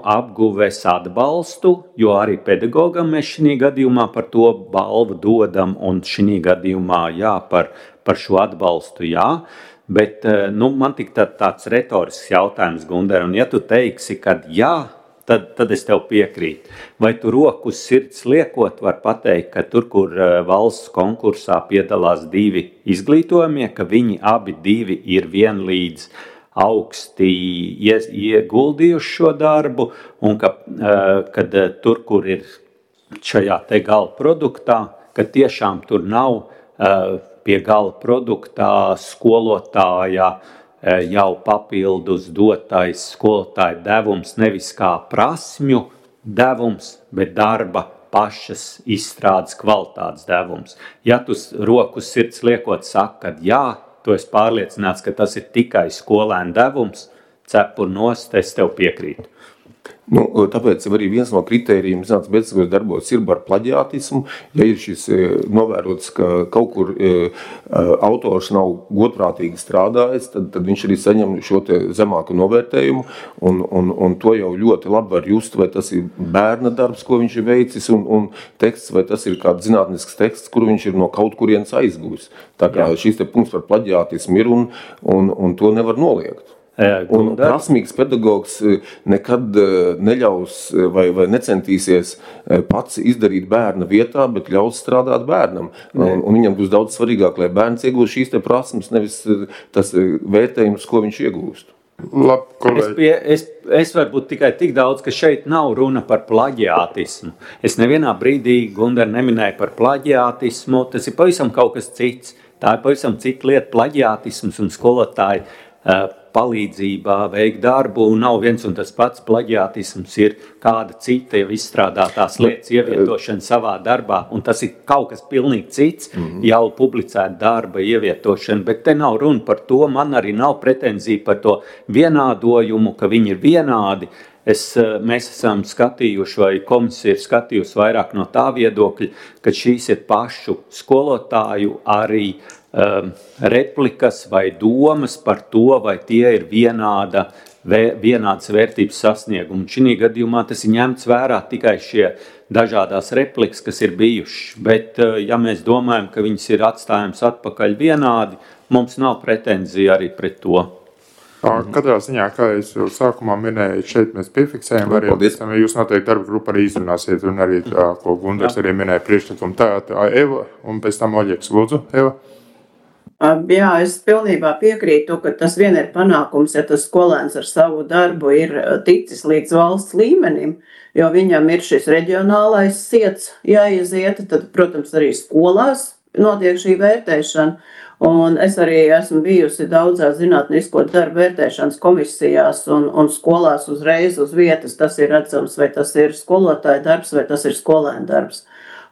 apguves atbalstu, jo arī pedagogam mēs šī gadījumā par to balvu dodam, un šī gadījumā par šo atbalstu jā. Bet man tik tāds retorisks jautājums, Gunder, un ja tu teiksi, ka jā, tad es tev piekrītu. Vai tu roku uz sirds liekot var pateikt, ka tur, kur valsts konkursā piedalās 2 izglītojumie, ka viņi abi 2 ir vienlīdz augsti ieguldījuši šo darbu, un kad tur, kur ir šajā te gala produktā, ka tiešām tur nav pie gala produktā skolotāja jau papildus dotais skolotāja devums, nevis kā prasmju devums, bet darba pašas izstrādes kvalitātes devums. Ja tu roku sirds liekot saka, ka jā, tu esi pārliecināts, ka tas ir tikai skolēnu devums, cepur nost, es tev piekrītu. Tāpēc arī viens no kritērijiem zinātnes pētnieciskajos darbos ir par plaģiātismu. Ja ir šis novērots, ka kaut kur autors nav godprātīgi strādājis, tad viņš arī saņem šo zemāku novērtējumu, un to jau ļoti labi var just, vai tas ir bērna darbs, ko viņš ir veicis, un teksts, vai tas ir kāds zinātnisks teksts, kuru viņš ir no kaut kurienes aizguvis. Tā kā šis punkts par plaģiātismu ir, un to nevar noliegt. Un prasmīgs pedagogs nekad neļaus vai necentīsies pats izdarīt bērna vietā, bet ļaus strādāt bērnam. Un viņam būs daudz svarīgāk, lai bērns iegūst šīs prasmes, nevis tas vērtējums, ko viņš iegūst. Labi, es varbūt tikai tik daudz, ka šeit nav runa par plaģiātismu. Es nevienā brīdī, Gunder, neminēju par plaģiātismu, tas ir pavisam kaut kas cits. Tā ir pavisam cita lieta, plaģiātisms un skolotāji palīdzībā veikt darbu, un nav viens un tas pats. Plaģiātisms ir kāda cita jau izstrādātās lietas ievietošana savā darbā, un tas ir kaut kas pilnīgi cits, jau publicēta darba ievietošana, bet te nav runa par to, man arī nav pretenzija par to vienādojumu, ka viņi ir vienādi. Mēs esam skatījuši, vai komisija ir skatījusi vairāk no tā viedokļa, ka šīs ir pašu skolotāju arī replikas vai domas par to, vai tie ir vienādas vērtības sasniegumi. Šī gadījumā tas ir ņemts vērā tikai šie dažādās replikas, kas ir bijušas. Bet, ja mēs domājam, ka viņas ir atstājums atpakaļ vienādi, mums nav pretenzija arī pret to. Katrā ziņā, kā es jau sākumā minēju, šeit mēs piefiksējam variantu. Jūs noteikti darba grupu arī izrunāsiet, un arī tā, ko Gundars arī minēja priekšlikumu. Tā Eva, un pēc tam Oļeks. Lūdzu, Eva. Jā, es pilnībā piekrītu, ka tas vien ir panākums, ja tas skolēns ar savu darbu ir ticis līdz valsts līmenim, jo viņam ir šis reģionālais ciets jāiziet, tad, protams, arī skolās notiek šī vērtēšana. Un es arī esmu bijusi daudzās zinātnisko darbu vērtēšanas komisijās un skolās uzreiz uz vietas. Tas ir redzams, vai tas ir skolotāja darbs, vai tas ir skolēna darbs.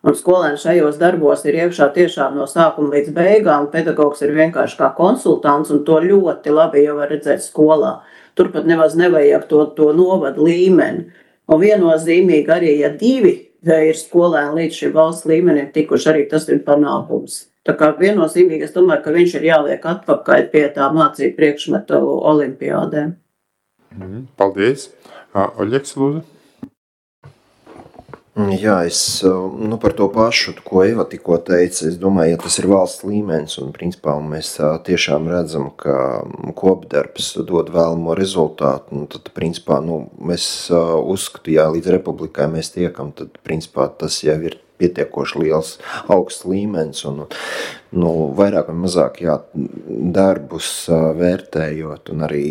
Un skolēns šajos darbos ir iekšā tiešām no sākuma līdz beigām. Pedagogs ir vienkārši kā konsultants, un to ļoti labi jau var redzēt skolā. Turpat nemaz nevajag to novadu līmeni. Un viennozīmīgi arī, ja 2 ir skolēni līdz šim valsts līmenim tikuši, arī tas ir panākums. Tā kā viennozīmīgi es domāju, ka viņš ir jāliek atpakaļ pie tā mācību priekšmetu olimpiādēm. Paldies. Oļeks, lūdzu. Jā, es par to pašu, ko Eva tikko teica, es domāju, ja tas ir valsts līmenis un principā mēs tiešām redzam, ka kopdarbs dod vēlamo rezultātu, tad principā mēs uzskatu, ja līdz republikai mēs tiekam, tad principā tas jau ir pietiekoši liels augsts līmenis un vairāk vai mazāk darbus vērtējot un arī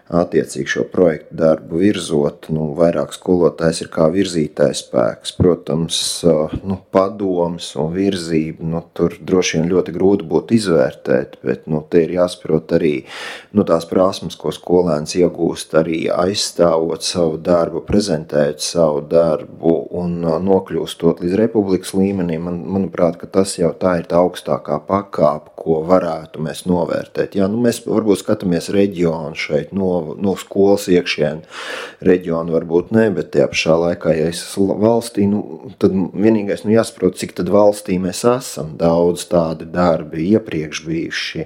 attiecīgi šo projektu darbu virzot, vairāk skolotājs ir kā virzītājs spēks. Protams, padoms un virzība, tur droši vien ļoti grūti būtu izvērtēt, bet te ir jāsaprot arī tās prasmes, ko skolēns iegūst arī aizstāvot savu darbu, prezentējot savu darbu un nokļūstot līdz republikas līmenī. Manuprāt, ka tas jau tā ir tā augstākā pakāpe, ko varētu mēs novērtēt. Jā, mēs varbūt skatāmies reģionu šeit no skolas iekšienu reģionu varbūt ne, bet tajā pašā laikā, ja es esmu valstī, tad vienīgais jāsaprot, cik tad valstī mēs esam. Daudz tādi darbi iepriekš bijuši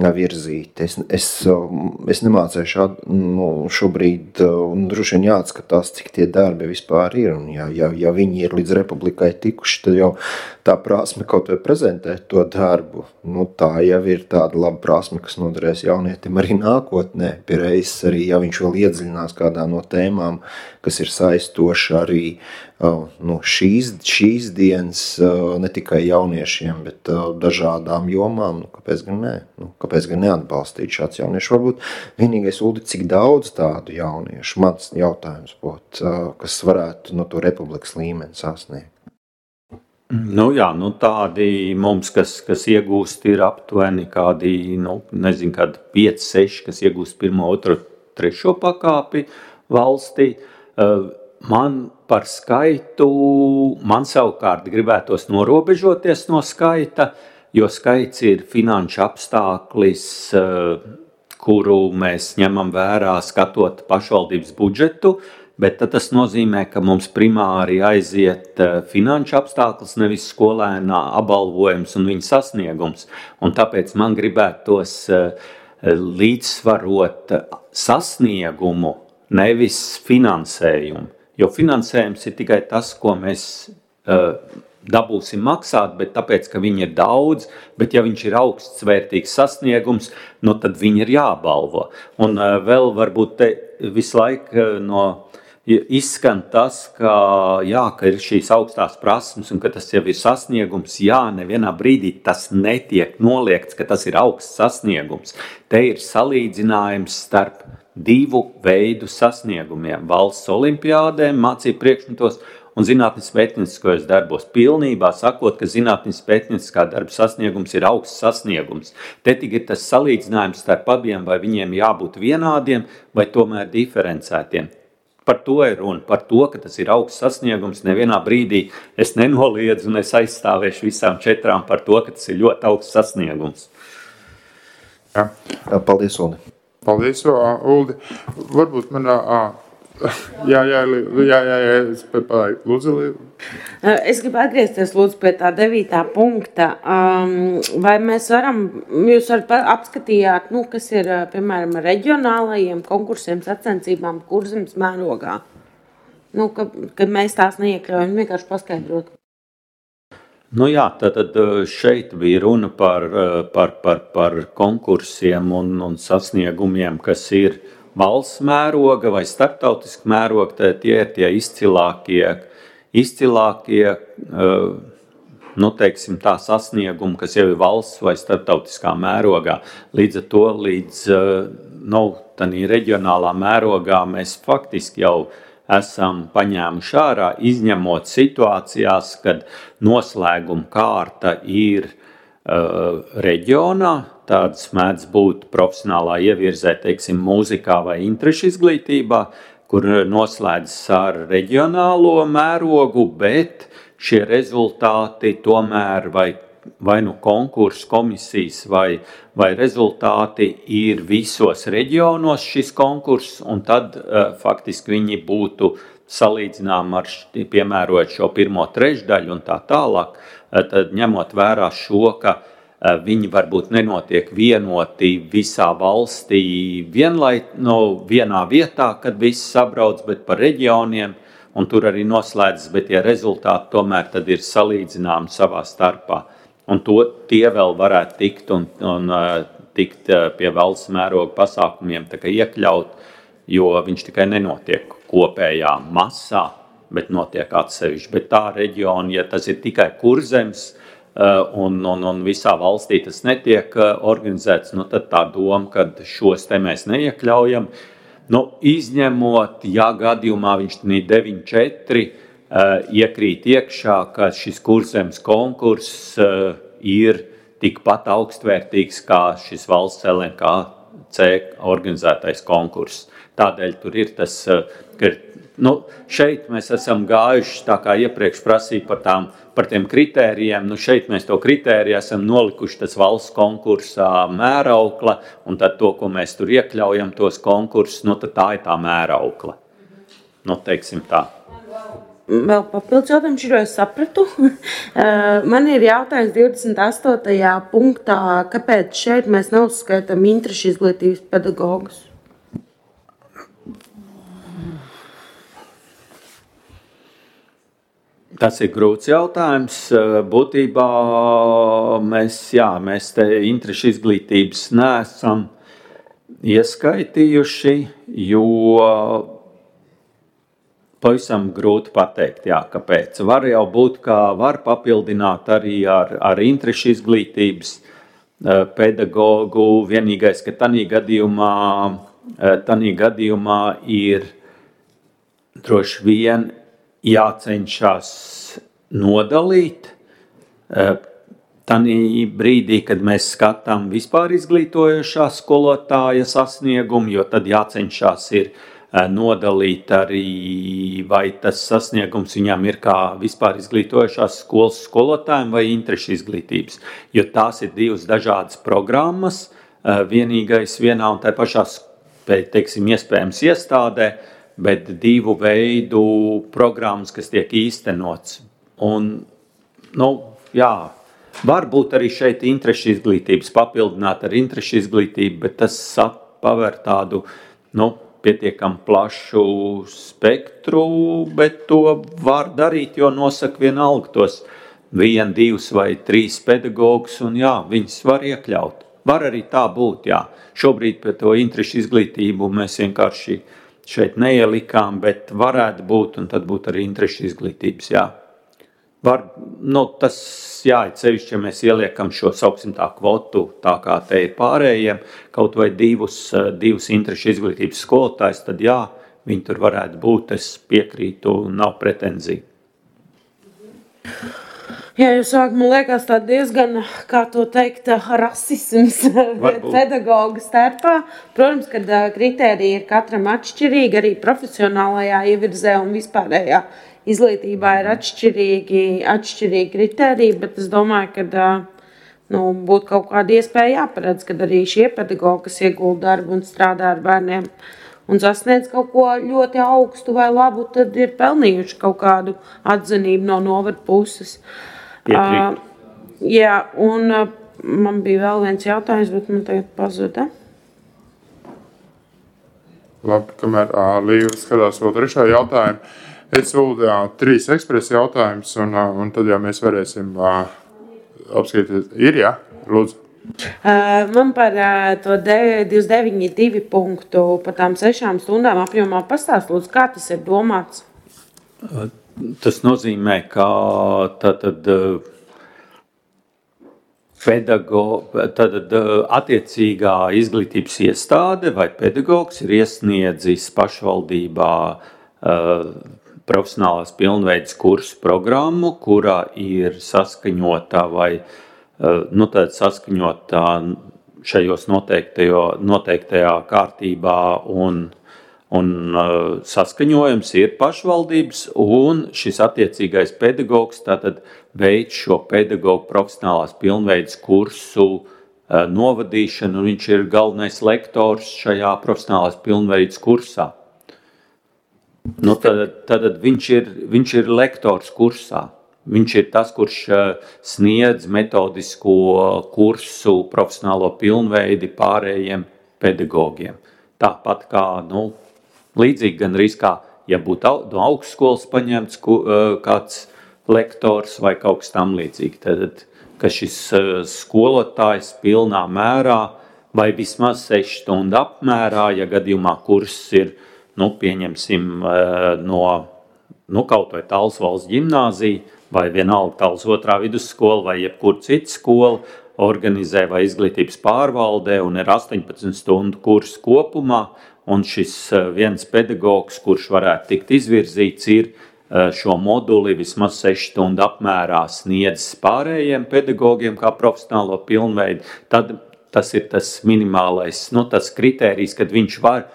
virzīti. Es nemācēju šobrīd, un droši vien jāatskatās, cik tie darbi vispār ir, un ja viņi ir līdz republikai tikuši, tad jau tā prasme kaut vai prezentēt to darbu, tā jau ir tāda laba prasme, kas noderēs jaunietim arī nākotnē, pie reizes arī, ja viņš vēl iedziļinās kādā no tēmām, kas ir saistoša arī šīs dienas ne tikai jauniešiem, bet dažādām jomām, kāpēc gan ne? Kāpēc gan neatbalstīt šāds jauniešu? Varbūt vienīgais, Uldi, cik daudz tādu jauniešu, mans jautājums būtu, kas varētu to republikas līmeni sasniegt? Tādi mums, kas iegūst, ir aptuveni kādi, kādi 5, 6, kas iegūst 1, 2, 3 pakāpi valstī. Man par skaitu, man savukārt gribētos norobežoties no skaita, jo skaits ir finanšu apstāklis, kuru mēs ņemam vērā skatot pašvaldības budžetu, bet tad tas nozīmē, ka mums primāri aiziet finanšu apstākļus, nevis skolēnā apbalvojums un viņa sasniegums. Un tāpēc man gribētos līdzsvarot sasniegumu, nevis finansējumu. Jo finansējums ir tikai tas, ko mēs dabūsim maksāt, bet tāpēc, ka viņi ir daudz, bet ja viņš ir augsts vērtīgs sasniegums, tad viņi ir jābalvo. Un vēl varbūt te visu laiku izskan tas, ka ir šīs augstās prasmes un ka tas jau ir sasniegums. Jā, nevienā brīdī tas netiek noliegts, ka tas ir augsts sasniegums. Te ir salīdzinājums starp 2 veidu sasniegumiem. Valsts olimpiādēm, mācību priekšmetos un zinātnes pētnieciskajos darbos. Pilnībā sakot, ka zinātnes pētnieciskā darba sasniegums ir augsts sasniegums. Te tik ir tas salīdzinājums starp abiem, vai viņiem jābūt vienādiem, vai tomēr diferencētiem. Par to ir runa, par to, ka tas ir augsts sasniegums. Nevienā brīdī es nenoliedzu un es aizstāvēšu visām 4 par to, ka tas ir ļoti augsts sasniegums. Jā. Paldies, Uldi. Paldies, Uldi. Varbūt man... Lūdzu. Es gribu atgriezties lūdzu pie tā 9. punkta. Vai mēs jūs varat apskatījāt, kas ir, piemēram, reģionālajiem konkursiem, sacensībām Kurzemes mērogā? Kad mēs tās neiekļaujam, vienkārši paskaidrot. Tad šeit bija runa par konkursiem un sasniegumiem, kas ir valsts mēroga vai starptautiska mēroga. Tad tie ir tie izcilākie teiksim tā sasniegumi, kas jau ir valsts vai starptautiskā mērogā. Līdz ar to, tādā reģionālā mērogā mēs faktiski jau esam paņēmuši ārā, izņemot situācijās, kad noslēguma kārta ir reģionā. Tādas mēdz būt profesionālā ievirzē, teiksim, mūzikā vai interešu izglītībā, kur noslēdzas ar reģionālo mērogu, bet šie rezultāti tomēr vai konkursu komisijas vai rezultāti ir visos reģionos šis konkurss, un tad faktiski viņi būtu salīdzinām ar piemērojot šo 1. trešdaļu un tā tālāk, tad ņemot vērā šo, ka viņi varbūt nenotiek vienoti visā valstī vienā vietā, kad visi sabrauc, bet par reģioniem, un tur arī noslēdzas, bet tie rezultāti tomēr tad ir salīdzināmi savā starpā. Un tie vēl varētu tikt un tikt pie valsts mēroga pasākumiem tā kā iekļaut, jo viņš tikai nenotiek kopējā masā, bet notiek atsevišķi. Bet tā reģiona, ja tas ir tikai Kurzems un visā valstī tas netiek organizēts, nu tad tā doma, ka šos te mēs neiekļaujam. Nu, izņemot, ja gadījumā viņš 9.4 iekrīt iekšā, ka šis Kurzems konkurss ir tikpat augstvērtīgs kā šis valsts LNKC organizētais konkurss. Tādēļ tur ir tas, ka šeit mēs esam gājuši, tā kā iepriekš prasīja par tiem kritērijiem, šeit mēs to kritēriju esam nolikuši tas valsts konkursā mēraukla, un tad to, ko mēs tur iekļaujam, tos konkursus, tad tā ir tā mēraukla. Teiksim tā. Vēl papildus jautājums, jo es sapratu. Man ir jautājums 28. punktā, kāpēc šeit mēs neuzskaitam interešu izglītības pedagogus? Tas ir grūts jautājums. Būtībā mēs te interešu izglītības neesam ieskaitījuši, jo pavisam grūti pateikt, kāpēc. Var jau būt, ka var papildināt arī ar interešu izglītības pedagogu. Vienīgais, ka tanī gadījumā ir droši vien jācenšas nodalīt tanī brīdī, kad mēs skatām vispār izglītojošā skolotāja sasniegumu, jo tad jācenšas ir nodalīt arī, vai tas sasniegums viņam ir kā vispār izglītojošās skolas skolotājiem vai interešu izglītības, jo tās ir divas dažādas programmas, vienīgais vienā un tā pašā, teiksim, iespējams iestādē, bet divu veidu programmas, kas tiek īstenots. Un, varbūt arī šeit interešu izglītības papildināt ar interešu izglītību, bet tas paver tādu, pietiekam plašu spektru, bet to var darīt, jo nosaka vienalga tos 1, 2 vai 3 pedagogus, un viņus var iekļaut. Var arī tā būt, Šobrīd pie to interešu izglītību mēs vienkārši šeit neielikām, bet varētu būt, un tad būtu arī interešu izglītības, Var, tas, cevišķi, ja mēs ieliekam šo, sauksim tā, kvotu, tā kā te ir pārējiem, kaut vai divus interešu izglītības skolotājs, tad viņi tur varētu būt, es piekrītu, nav pretenzija. Jūs sāk, man liekas, tā diezgan, kā to teikt, rasisms pedagogu starpā. Protams, kad kritērija ir katram atšķirīgi, arī profesionālajā ievirzē un vispārējā izglītībā ir atšķirīgi kritēriji, bet es domāju, ka būtu kaut kāda iespēja jāparedz, kad arī šie pedagogi, kas iegulda darbu un strādā ar bērniem un sasniedz kaut ko ļoti augstu vai labu, tad ir pelnījuši kaut kādu atzinību no novada puses. Un man bija vēl viens jautājums, bet man tagad pazuda. Labi, kamēr Līva skatās vēl trešā jautājumu. Es lūdzu 3 ekspresa jautājumus, un tad mēs varēsim apskatīt. Ir, lūdzu. Man par to 29.2 punktu par tām 6 stundām apjomā pastāst, lūdzu, kā tas ir domāts? Tas nozīmē, ka attiecīgā izglītības iestāde vai pedagogs ir iesniedzis pašvaldībā profesionālās pilnveides kursu programmu, kurā ir saskaņota vai saskaņota šajos noteiktajā kārtībā un saskaņojums ir pašvaldības, un šis attiecīgais pedagogs tātad veic šo pedagogu profesionālās pilnveides kursu novadīšanu, un viņš ir galvenais lektors šajā profesionālās pilnveides kursā. Tad viņš ir lektors kursā. Viņš ir tas, kurš sniedz metodisko kursu profesionālo pilnveidi pārējiem pedagogiem. Tāpat kā, līdzīgi gandrīz kā ja būtu no augstskolas paņemts kāds lektors vai kaut kas tam līdzīgi. Tad, ka šis skolotājs pilnā mērā vai vismaz 6 stundu apmērā, ja gadījumā kurs ir, pieņemsim, no kaut vai Tallas valsts ģimnāzija, vai vienalga Tallas 2. vidusskola, vai jebkur cita skola, organizē vai izglītības pārvaldē un ir 18 stundu kurs kopumā, un šis viens pedagogs, kurš varētu tikt izvirzīts, ir šo moduli vismaz 6 stundu apmērā sniedzis pārējiem pedagogiem kā profesionālo pilnveidu, tad tas ir tas minimālais, tas kritērijs, kad viņš var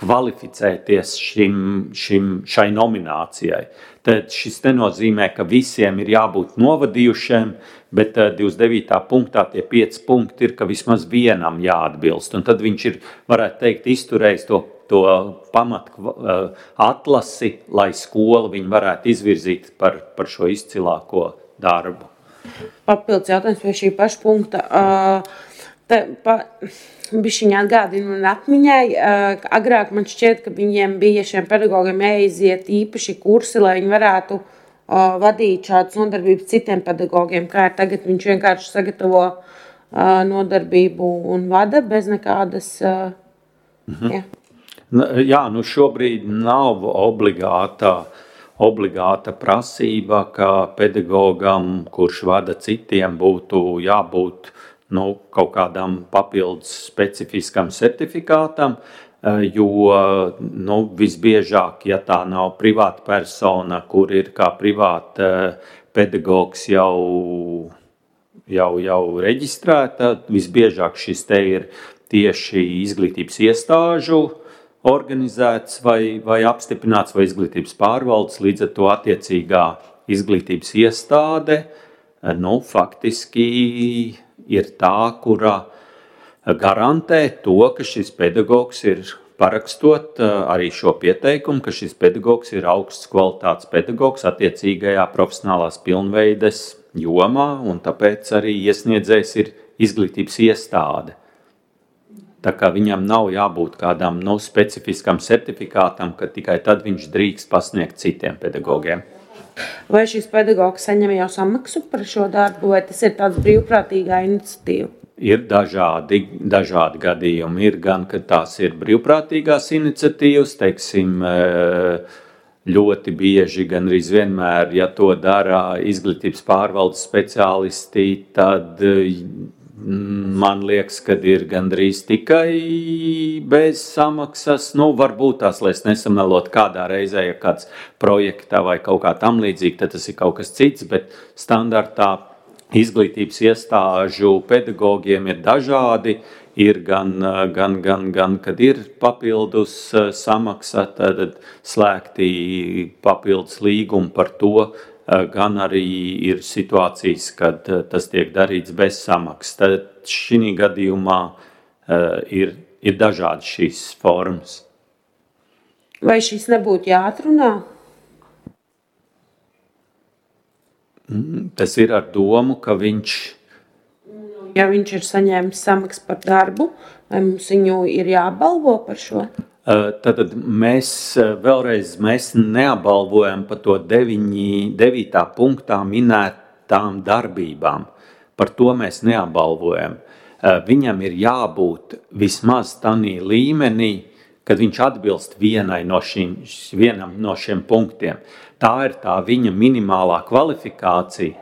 kvalificēties šai nominācijai. Tad šis nenozīmē, ka visiem ir jābūt novadījušiem, bet 29. punktā tie 5 punkti ir, ka vismaz vienam jāatbilst. Un tad viņš ir, varētu teikt, izturējis to pamatu atlasi, lai skola viņu varētu izvirzīt par šo izcilāko darbu. Papildus jautājums pie šī paša punkta. Bišķiņā atgādina man atmiņai, agrāk man šķiet, ka viņiem bija šiem pedagogiem jāiziet īpaši kursi, lai viņi varētu vadīt šādas nodarbības citiem pedagogiem, kā ir tagad viņš vienkārši sagatavo nodarbību un vada bez nekādas... Jā, šobrīd nav obligāta prasība, ka pedagogam, kurš vada citiem, būtu jābūt kaut kādam papildus specifiskam certifikātam, jo visbiežāk, ja tā nav privāta persona, kur ir kā privāta pedagogs jau reģistrēta, visbiežāk šis te ir tieši izglītības iestāžu organizēts vai apstiprināts vai izglītības pārvaldes, līdz ar to attiecīgā izglītības iestāde, faktiski ir tā, kura garantē to, ka šis pedagogs ir parakstot arī šo pieteikumu, ka šis pedagogs ir augsts kvalitātes pedagogs attiecīgajā profesionālās pilnveides jomā, un tāpēc arī iesniedzējs ir izglītības iestāde. Tā kā viņam nav jābūt kādam specifiskam certifikātam, ka tikai tad viņš drīkst pasniegt citiem pedagogiem. Vai šis pedagogs saņem jau samaksu par šo darbu, vai tas ir tāds brīvprātīgā iniciatīva? Ir dažādi gadījumi. Ir gan, ka tās ir brīvprātīgās iniciatīvas, teiksim, ļoti bieži, gandrīz vienmēr, ja to dara izglītības pārvaldes speciālisti, tad man liekas, ka ir gandrīz tikai bez samaksas. Varbūt tās, lai es nesamelot kādā reizē, ja kāds projektā vai kaut kā tam līdzīgi, tad tas ir kaut kas cits, bet standartā izglītības iestāžu pedagogiem ir dažādi. Ir gan, kad ir papildus samaksa, tad slēgti papildus līgumi par to, gan arī ir situācijas, kad tas tiek darīts bez samaksas. Tad šī gadījumā ir dažādi šīs formas. Vai šis nebūtu jāatrunā? Tas ir ar domu, ka viņš... Ja viņš ir saņēmis samaksu par darbu, vai mums viņu ir jāapbalvo par šo? Tad mēs neapbalvojam par to 9. punktā minētām darbībām. Par to mēs neapbalvojam. Viņam ir jābūt vismaz tādā līmenī, kad viņš atbilst vienam no šiem punktiem. Tā ir tā viņa minimālā kvalifikācija.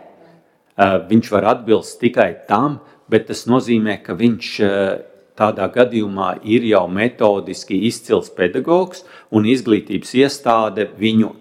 Viņš var atbilst tikai tam, bet tas nozīmē, ka viņš tādā gadījumā ir jau metodiski izcils pedagogs un izglītības iestāde viņu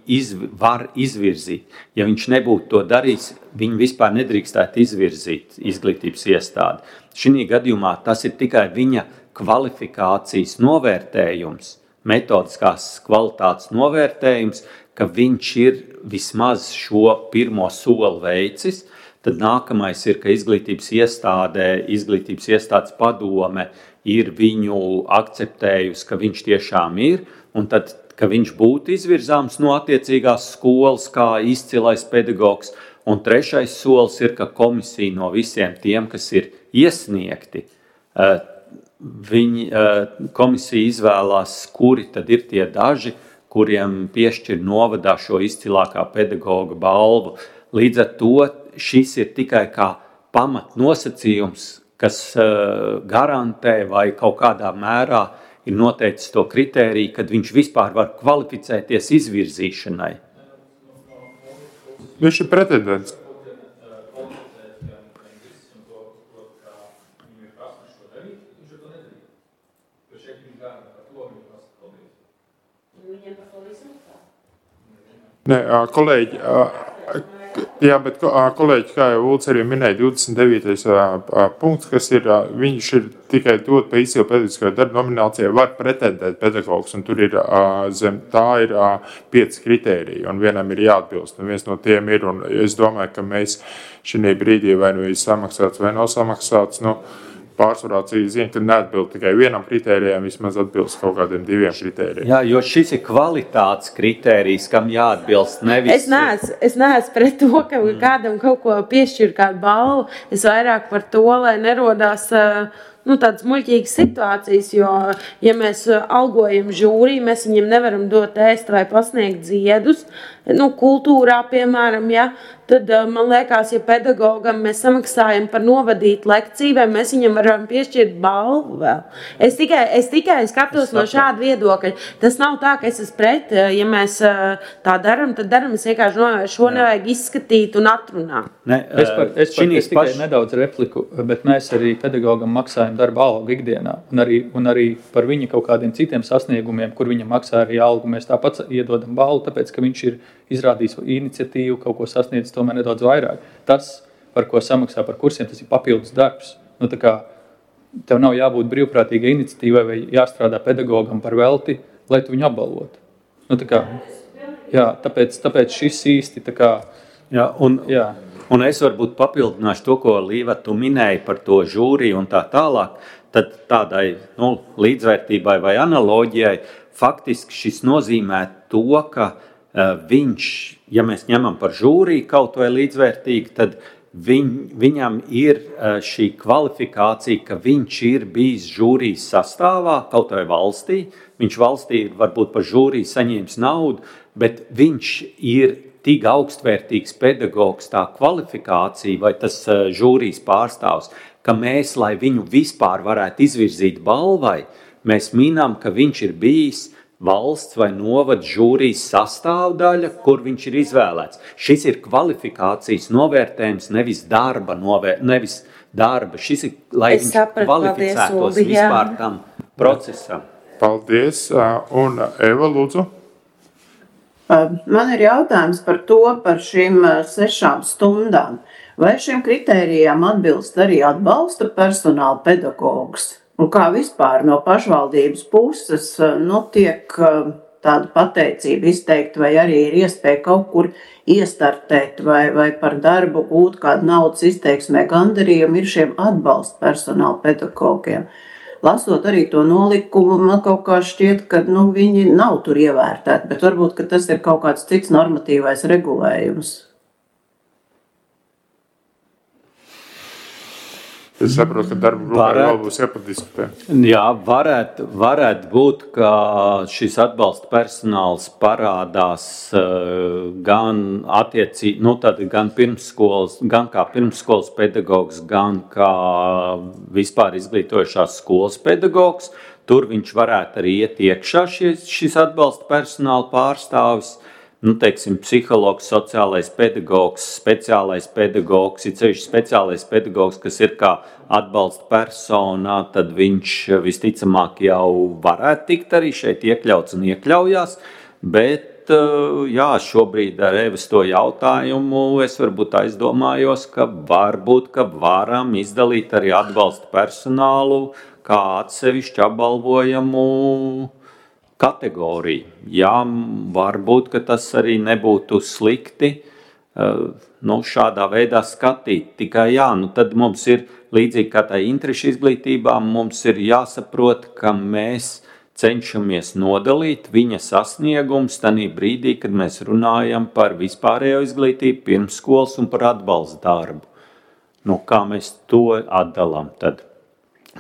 var izvirzīt. Ja viņš nebūtu to darījis, viņu vispār nedrīkstētu izvirzīt izglītības iestādi. Šī gadījumā tas ir tikai viņa kvalifikācijas novērtējums, metodiskās kvalitātes novērtējums, ka viņš ir vismaz šo pirmo soli veicis. Tad nākamais ir, ka izglītības iestādes padome ir viņu akceptējusi, ka viņš tiešām ir, un tad, ka viņš būtu izvirzāms no attiecīgās skolas kā izcilais pedagogs. Un trešais solis ir, ka komisija no visiem tiem, kas ir iesniegti, komisija izvēlās, kuri tad ir tie daži, kuriem piešķir novadā šo izcilākā pedagoga balvu. Līdz ar to šis ir tikai kā pamatnosacījums, kas garantē vai kaut kādā mērā ir noteicis to kritēriju, kad viņš vispār var kvalificēties izvirzīšanai. Viņš ir pretendents. Nē, kolēģi, jā, bet kolēģi, kā jau Ulds arī minēja, 29. punkts, kas ir, viņš ir tikai dot pa izcilu pedagoģiskā darba nominācijai, var pretendēt pedagogs, un tur ir zem tā ir 5 kritēriji, un vienam ir jāatbilst, un viens no tiem ir, un es domāju, ka mēs šī brīdī vai nu ir samaksāts vai nav samaksāts, pārsvarā zina, ka neatbild tikai vienam kritērijam, vismaz atbilst kaut kādiem 2 kritērijiem. Jā, jo šis ir kvalitātes kritērijs, kam jāatbilst nevis. Es neesmu pret to, ka kādam kaut ko piešķir kādu balvu. Es vairāk par to, lai nerodās tādas muļķīgas situācijas, jo, ja mēs algojam žūriju, mēs viņiem nevaram dot ēst vai pasniegt ziedus, kultūrā, piemēram, ja, tad man liekas, ja pedagogam mēs samaksājam par novadīt lekciju, vai mēs viņam varam piešķirt balvu vēl. Es tikai skatos no šāda viedokļa. Tas nav tā, ka es esmu pret, ja mēs tā daram, tad daram, es vienkārši novēršu, šo nevajag izskatīt un atrunāt. Es tikai nedaudz repliku, bet mēs arī pedagogam maksājam darba algu ikdienā, un arī par viņa kaut kādiem citiem sasniegumiem, kur viņam maksā arī algu, mēs tāpat iedodam balvu, tāpēc, ka viņš ir izrādījis iniciatīvu, kaut ko sasniedzis tomēr nedaudz vairāk. Tas, par ko samaksā par kursiem, tas ir papildus darbs. Tā kā tev nav jābūt brīvprātīgai iniciatīvai vai jāstrādā pedagogam par velti, lai tu viņu apbalvotu. Tāpēc šis īsti tā kā... Un es varbūt papildināšu to, ko Līva tu minēji par to žūriju un tā tālāk, tad tādai līdzvērtībai vai analoģijai faktiski šis nozīmē to, ka viņš, ja mēs ņemam par žūriju kaut vai līdzvērtīgi, tad viņam ir šī kvalifikācija, ka viņš ir bijis žūrijas sastāvā kaut vai valstī. Viņš valstī varbūt par žūriju saņēmis naudu, bet viņš ir tik augstvērtīgs pedagogs, tā kvalifikācija vai tas žūrijas pārstāvs, ka mēs, lai viņu vispār varētu izvirzīt balvai, mēs minam, ka viņš ir bijis valsts vai novada žūrijas sastāvdaļa, kur viņš ir izvēlēts. Šis ir kvalifikācijas novērtējums, nevis darba. Šis ir, lai viņš kvalificētos vispār tam procesam. Paldies. Un Eva, lūdzu. Man ir jautājums par šīm 6 stundām. Vai šiem kritērijām atbilst arī atbalsta personāla pedagogs? Un kā vispār no pašvaldības puses tiek tāda pateicība izteikta, vai arī ir iespēja kaut kur iestartēt vai par darbu gūt kādu naudas izteiksmē gandarījumu ir šiem atbalsta personāla pedagogiem. Lasot arī to nolikumu, man kaut kā šķiet, ka viņi nav tur ievērtēti, bet varbūt, ka tas ir kaut kāds cits normatīvais regulējums. Es saprotu, ka darba grupā vēl būs jāpadiskutē. Jā, varētu būt, ka šis atbalsta personāls parādās gan gan pirmsskolas, gan kā pirmsskolas pedagogs, gan kā vispār izglītojušās skolas pedagogs. Tur viņš varētu arī iet iekšā šis atbalsta personāla pārstāvis. Teiksim, psihologs, sociālais pedagogs, speciālais pedagogs, ir ceļš speciālais pedagogs, kas ir kā atbalsta persona, tad viņš visticamāk jau varētu tikt arī šeit iekļauts un iekļaujās, bet šobrīd ar Evas to jautājumu es varbūt aizdomājos, ka varbūt, ka varam izdalīt arī atbalsta personālu kā atsevišķu apbalvojamu kategoriju. Jā, varbūt, ka tas arī nebūtu slikti šādā veidā skatīt. Tikai tad mums ir, līdzīgi kā tā interešu izglītībā, mums ir jāsaprot, ka mēs cenšamies nodalīt viņa sasniegums tanī brīdī, kad mēs runājam par vispārējo izglītību, pirmsskolas un par atbalsta darbu. Kā mēs to atdalām tad?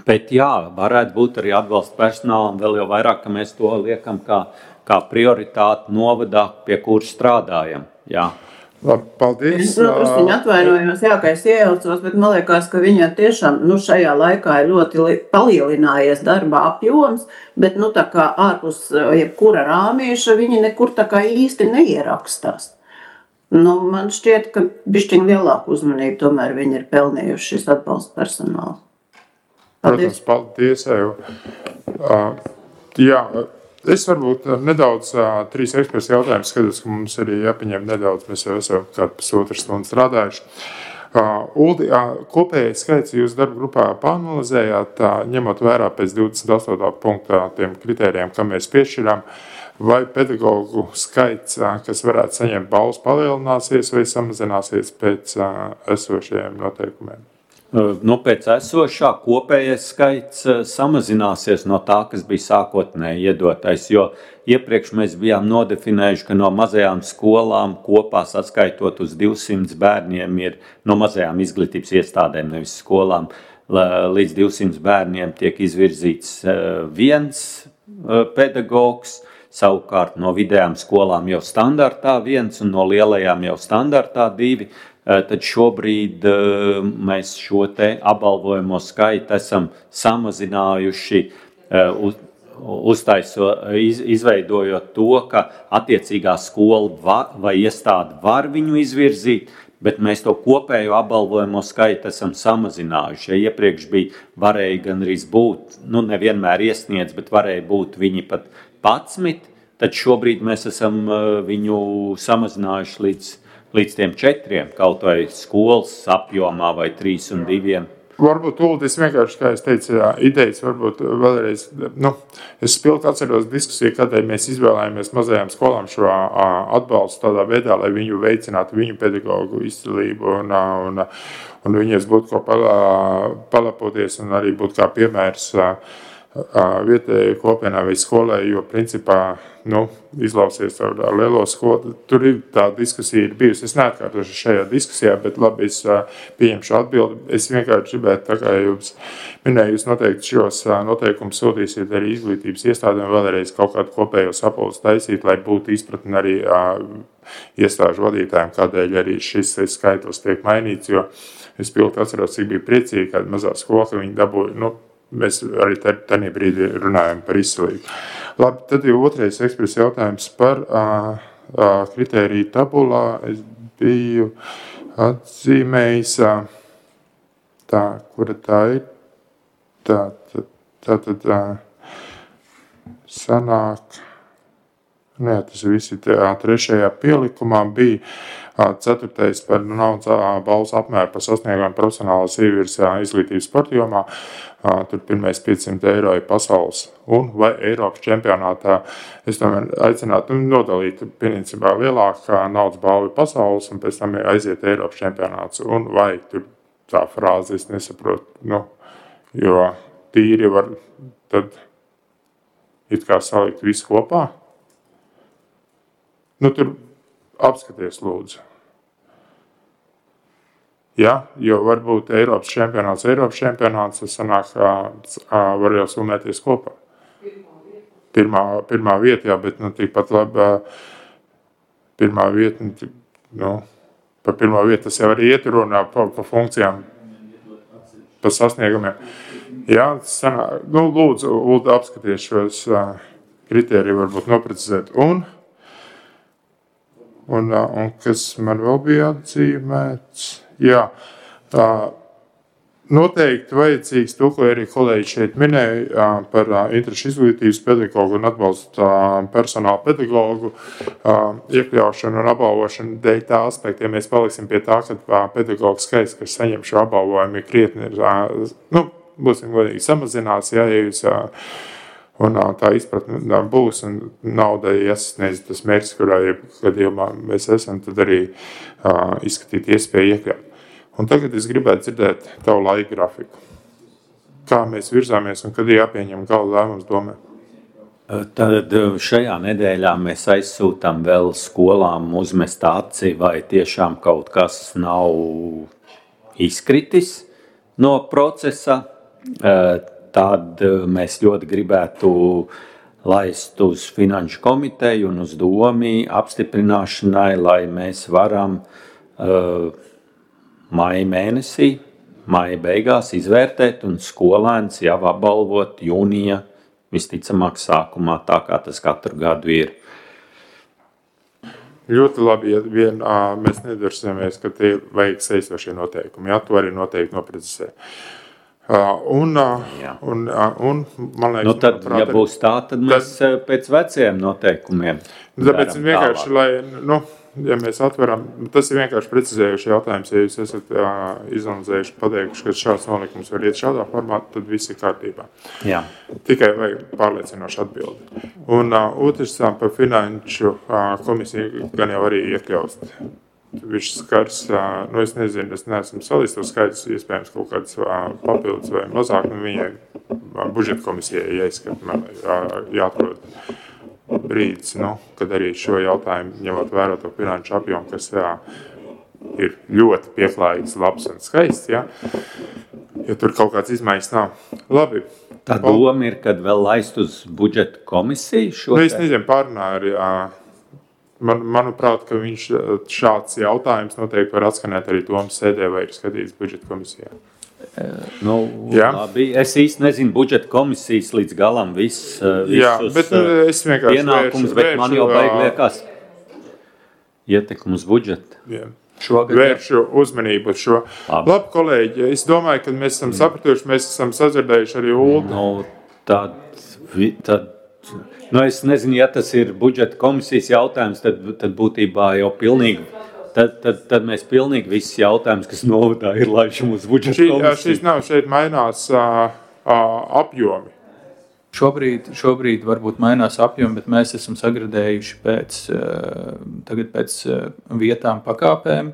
Bet varētu būt arī atbalsta personālam, vēl jau vairāk, ka mēs to liekam kā kā prioritāti novadā, pie kur strādājam. Jā. Labi, paldies. Viņa atvainojos, jā, ka es iejaucos, bet man liekas, ka viņa tiešām šajā laikā ir ļoti palielinājies darba apjoms, bet tā kā ārpus jebkura rāmīša viņi nekur tā kā īsti neierakstās. Man šķiet, ka bišķiņ lielāku uzmanību tomēr viņi ir pelnījuši šis atbalsta personāls. Protams, paldies, Evu. Jā, es varbūt nedaudz 3 eksperts jautājumus skatos, ka mums arī jāpieņem nedaudz, mēs jau esam kādu pusotru stundu strādājuši. Uldi, kopējais skaits jūs darba grupā pāanalizējāt, ņemot vērā pēc 28. punktā tiem kritērijiem, kam mēs piešķirām, vai pedagogu skaits, kas varētu saņemt balvas, palielināsies vai samazināsies pēc esošajiem noteikumiem? Pēc esošā kopējais skaits samazināsies no tā, kas bija sākotnēji iedotais, jo iepriekš mēs bijām nodefinējuši, ka no mazajām skolām kopā saskaitot uz 200 bērniem ir no mazajām izglītības iestādēm, nevis skolām, līdz 200 bērniem tiek izvirzīts 1 pedagogs, savukārt no vidējām skolām jau standartā 1 un no lielajām jau standartā 2. Tad šobrīd mēs šo te apbalvojamo skaitu esam samazinājuši, izveidojot to, ka attiecīgā skola vai iestāde var viņu izvirzīt, bet mēs to kopējo apbalvojamo skaitu esam samazinājuši. Ja iepriekš varēja gandrīz būt, nevienmēr iesniedz, bet varēja būt viņi pat 11, tad šobrīd mēs esam viņu samazinājuši līdz tiem 4, kaut vai skolas apjomā vai 3 un 2. Varbūt Uldis vienkārši, kā es teicu, idejas varbūt vēlreiz, es spilgti atceros diskusiju, kādēļ mēs izvēlējāmies mazajām skolām šo atbalstu tādā veidā, lai viņu veicinātu viņu pedagogu izcilību un viņas būtu ko palapoties un arī būtu kā piemērs vietējai kopienai vai skolai, jo principā izlausies ar lielo skolu. Tur ir tā diskusija ir bijusi. Es neatkārtošu šajā diskusijā, bet labi, es pieņemšu atbildi. Es vienkārši gribētu, tā kā jums minēju, jūs noteikti šos noteikumus sūtīsiet arī izglītības iestādēm, vēlreiz kaut kādu kopējo sapulci taisīt, lai būtu izpratni arī iestāžu vadītājiem, kādēļ arī šis skaitlis tiek mainīts, jo es pilnīgi atceros, cik bija priecīgi, kāda mazā skola, ka viņi dabūja, mēs arī tādā brīdī runājam par izcilību. Labi, tad jau otrais ekspress jautājums par kritēriju tabulā. Es biju atzīmējis, kura tā ir. Tātad sanāk, tas visi trešajā pielikumā bija 4. par naudas balvas apmēru par sasniegumu profesionālās ievirs izglītības sporta jomā. Tur pirmais 500 eiro ir pasaules un vai Eiropas čempionātā. Es tomēr aicinātu nodalīt principā lielākā naudas balva pasaules un pēc tam aiziet Eiropas čempionāts. Un vai tur tā frāze es nesaprotu, jo tīri var tad it kā salikt visu kopā. Tur apskaties lūdzu. Ja, jo varbūt Eiropas čempionāts, tas sanāk, var jau summēties kopā. Pirmā vieta, jā, bet tikpat labi pirmā vieta, par pirmā vietu tas jau arī ieturunā pa funkcijām, pa sasniegumiem. Jā, sanāk, lūdzu, Ulda apskaties šos kritēriju varbūt noprecizēt. Un kas man vēl bija atzīmēts? Jā, noteikti vajadzīgs to, ko arī kolēģi šeit minēja par interešu izglītības pedagogu un atbalstu personāla pedagogu iekļaušanu un apbalvošanu dēļ tā aspekta. Ja mēs paliksim pie tā, ka pedagogu skaits, kas saņem šo apbalvojumu, ir krietni, būsim godīgi samazinās, ja jūs un tā izpratne būs un naudai jāsasniedz tas mērķis, kurā gadījumā mēs esam, tad arī izskatīt iespēju iekļaut. Un tagad es gribētu dzirdēt tavu laika grafiku. Kā mēs virzāmies un kad jāpieņem gala lēmums domē? Tad šajā nedēļā mēs aizsūtām vēl skolām uzmest aci, vai tiešām kaut kas nav izkritis no procesa. Tad mēs ļoti gribētu laist uz finanšu komiteju un uz domi apstiprināšanai, lai mēs varam maija mēnesī, maija beigās izvērtēt un skolēns jau apbalvot jūnija visticamāk sākumā, tā kā tas katru gadu ir. Ļoti labi, ja vien mēs nedarsimies, ka tie vajag saistošie noteikumi. Jā, to arī noteikti noprecizē. Un man liekas, tad, ja būs tā, tad mēs pēc veciem noteikumiem. Tāpēc vienkārši, lai, ja mēs atveram, tas ir vienkārši precizējuši jautājums, ja jūs esat izanalizējuši, pateikuši, ka šāds nolikums var iet šādā formā, tad viss ir kārtībā. Jā. Tikai vajag pārliecinoši atbildi. Un otrs par finanšu komisiju gan jau arī iekļaust. Viņš skars, es nezinu, es neesmu salīdz to skaidrs, iespējams kaut kāds papildus vai mazāk, viņai budžeta komisijai jāatrod brīdis, kad arī šo jautājumu, ņemot vērā to finanšu apjomu, kas ir ļoti pieklājīgs, labs un skaists, ja tur kaut kāds izmaiņas nav. Labi. Tā doma ir, kad vēl laist uz budžeta komisiju šo? Es nezinu, pārunāju arī, manuprāt, ka viņš šāds jautājums noteikti var atskanēt arī domas sēdē vai ir skatīts budžeta komisijā. Labi. Es īsti nezinu budžeta komisijas līdz galam visus pienākumus, bet man jau liekas ietekmi uz budžetu. Vēršu uzmanību uz šo. Labi, kolēģi, es domāju, ka mēs esam sapratuši, mēs esam sadzirdējuši arī Uldu. Es nezinu, ja tas ir budžeta komisijas jautājums, tad būtībā jau pilnīgi, tad mēs pilnīgi visus jautājumus, kas novadā ir laišam uz budžeta komisiju. Šeit mainās apjomi. Šobrīd varbūt mainās apjomi, bet mēs esam sagradējuši pēc vietām pakāpēm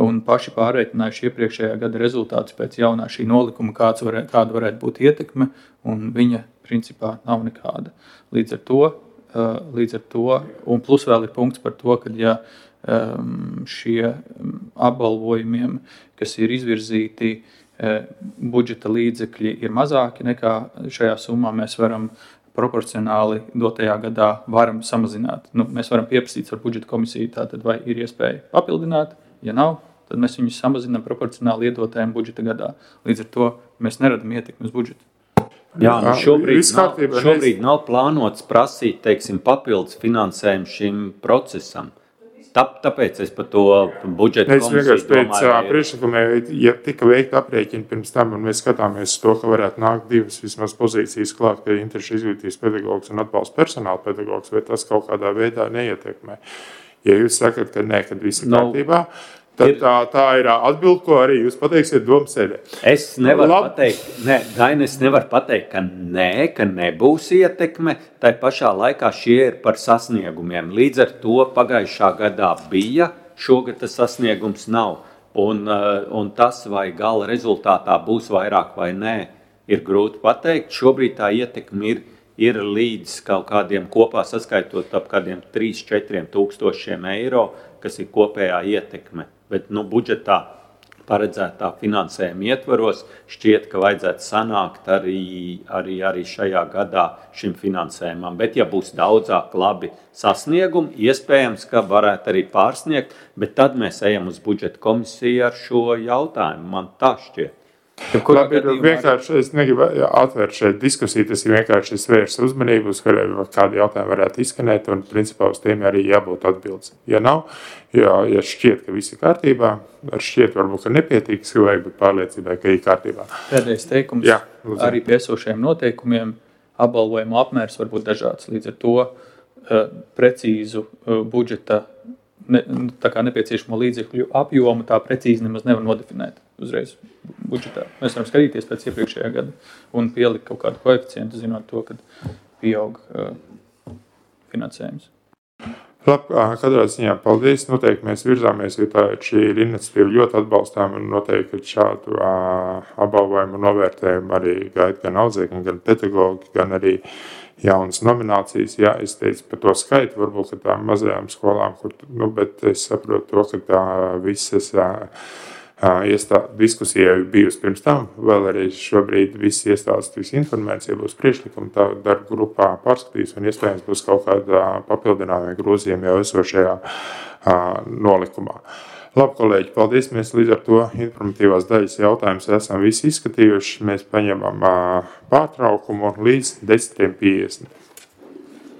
un paši pārreikinājuši iepriekšējā gada rezultātus pēc jaunā šī nolikuma, kāda varētu būt ietekme, un viņa principā nav nekāda. Līdz ar to, un plus vēl ir punkts par to, ka ja šie apbalvojumiem, kas ir izvirzīti, budžeta līdzekļi ir mazāki nekā šajā summā, mēs varam proporcionāli dotajā gadā varam samazināt. Mēs varam pieprasīt ar budžeta komisiju, tātad vai ir iespēja papildināt, ja nav, tad mēs viņus samazinām proporcionāli iedotajam budžeta gadā. Līdz ar to mēs neradam ietekmi uz budžetu. Jā, šobrīd nav plānots prasīt, teiksim, papildus finansējumu šim procesam. Tāpēc es par to budžeta komisiju domāju. Pēc priekšlikumiem, ja tika veikta aprēķina pirms tam, un mēs skatāmies to, ka varētu nākt divas vismaz pozīcijas klāt, ka interešu izglītības pedagogs un atbalsta personāla pedagogs, vai tas kaut kādā veidā neietekmē. Ja jūs sakat, ka nē, kad viss ir kārtībā, tad tā ir atbilde, ko arī jūs pateiksiet domas sēdē. Es nevaru pateikt, ka nebūs ietekme, tai pašā laikā šie ir par sasniegumiem. Līdz ar to pagājušā gadā bija, šogad tas sasniegums nav. Un tas, vai gala rezultātā būs vairāk vai nē, ir grūti pateikt. Šobrīd tā ietekme ir līdz kaut kādiem kopā saskaitot ap kādiem 3-4 tūkstošiem eiro, kas ir kopējā ietekme. Bet budžetā paredzētā finansējuma ietvaros šķiet, ka vajadzētu sanākt arī šajā gadā šim finansējumam. Bet ja būs daudzāk labi sasniegumi, iespējams, ka varētu arī pārsniegt, bet tad mēs ejam uz budžeta komisiju ar šo jautājumu. Man tā šķiet. Labi, vienkārši es negribu atvērt šeit diskusiju, tas ir vienkārši svērst uzmanību, uz kādi jautājumi varētu izskanēt, un principā uz tiem arī jābūt atbildes. Ja nav, ja šķiet, ka viss ir kārtībā, ar šķiet varbūt, ka nepietiks, vajag būt pārliecībai, ka ir kārtībā. Pēdējais teikums, arī pie esošajiem noteikumiem apbalvojuma apmērs var būt dažāds, līdz ar to precīzu budžeta tā kā nepieciešamo līdzekļu apjomu tā precīzi nemaz nevar nodefinēt uzreiz budžetā. Mēs varam skatīties pēc iepriekšējā gada un pielikt kaut kādu koeficientu, zinot to, kad pieaug finansējums. Labi, katrā ziņā paldies. Noteikti mēs virzāmies, jo šī ir iniciatīva ļoti atbalstām un noteikti šādu apbalvojumu un novērtējumu arī gaida gan audzēkņi, gan pedagogi, gan arī jaunas nominācijas. Jā, es teicu par to skaitu, varbūt, ka tām mazajām skolām, bet es saprotu to, ka tā visas diskusija bijusi pirms tam, vēl arī šobrīd viss iestādes tiks informēts, ja būs priekšlikumi, tā darba grupā pārskatīs un iespējams būs kaut kāda papildinājuma grozījuma jau esošajā nolikumā. Labi, kolēģi, paldies. Mēs līdz ar to informatīvās daļas jautājumus esam visi izskatījuši. Mēs paņemam pārtraukumu līdz 10:50.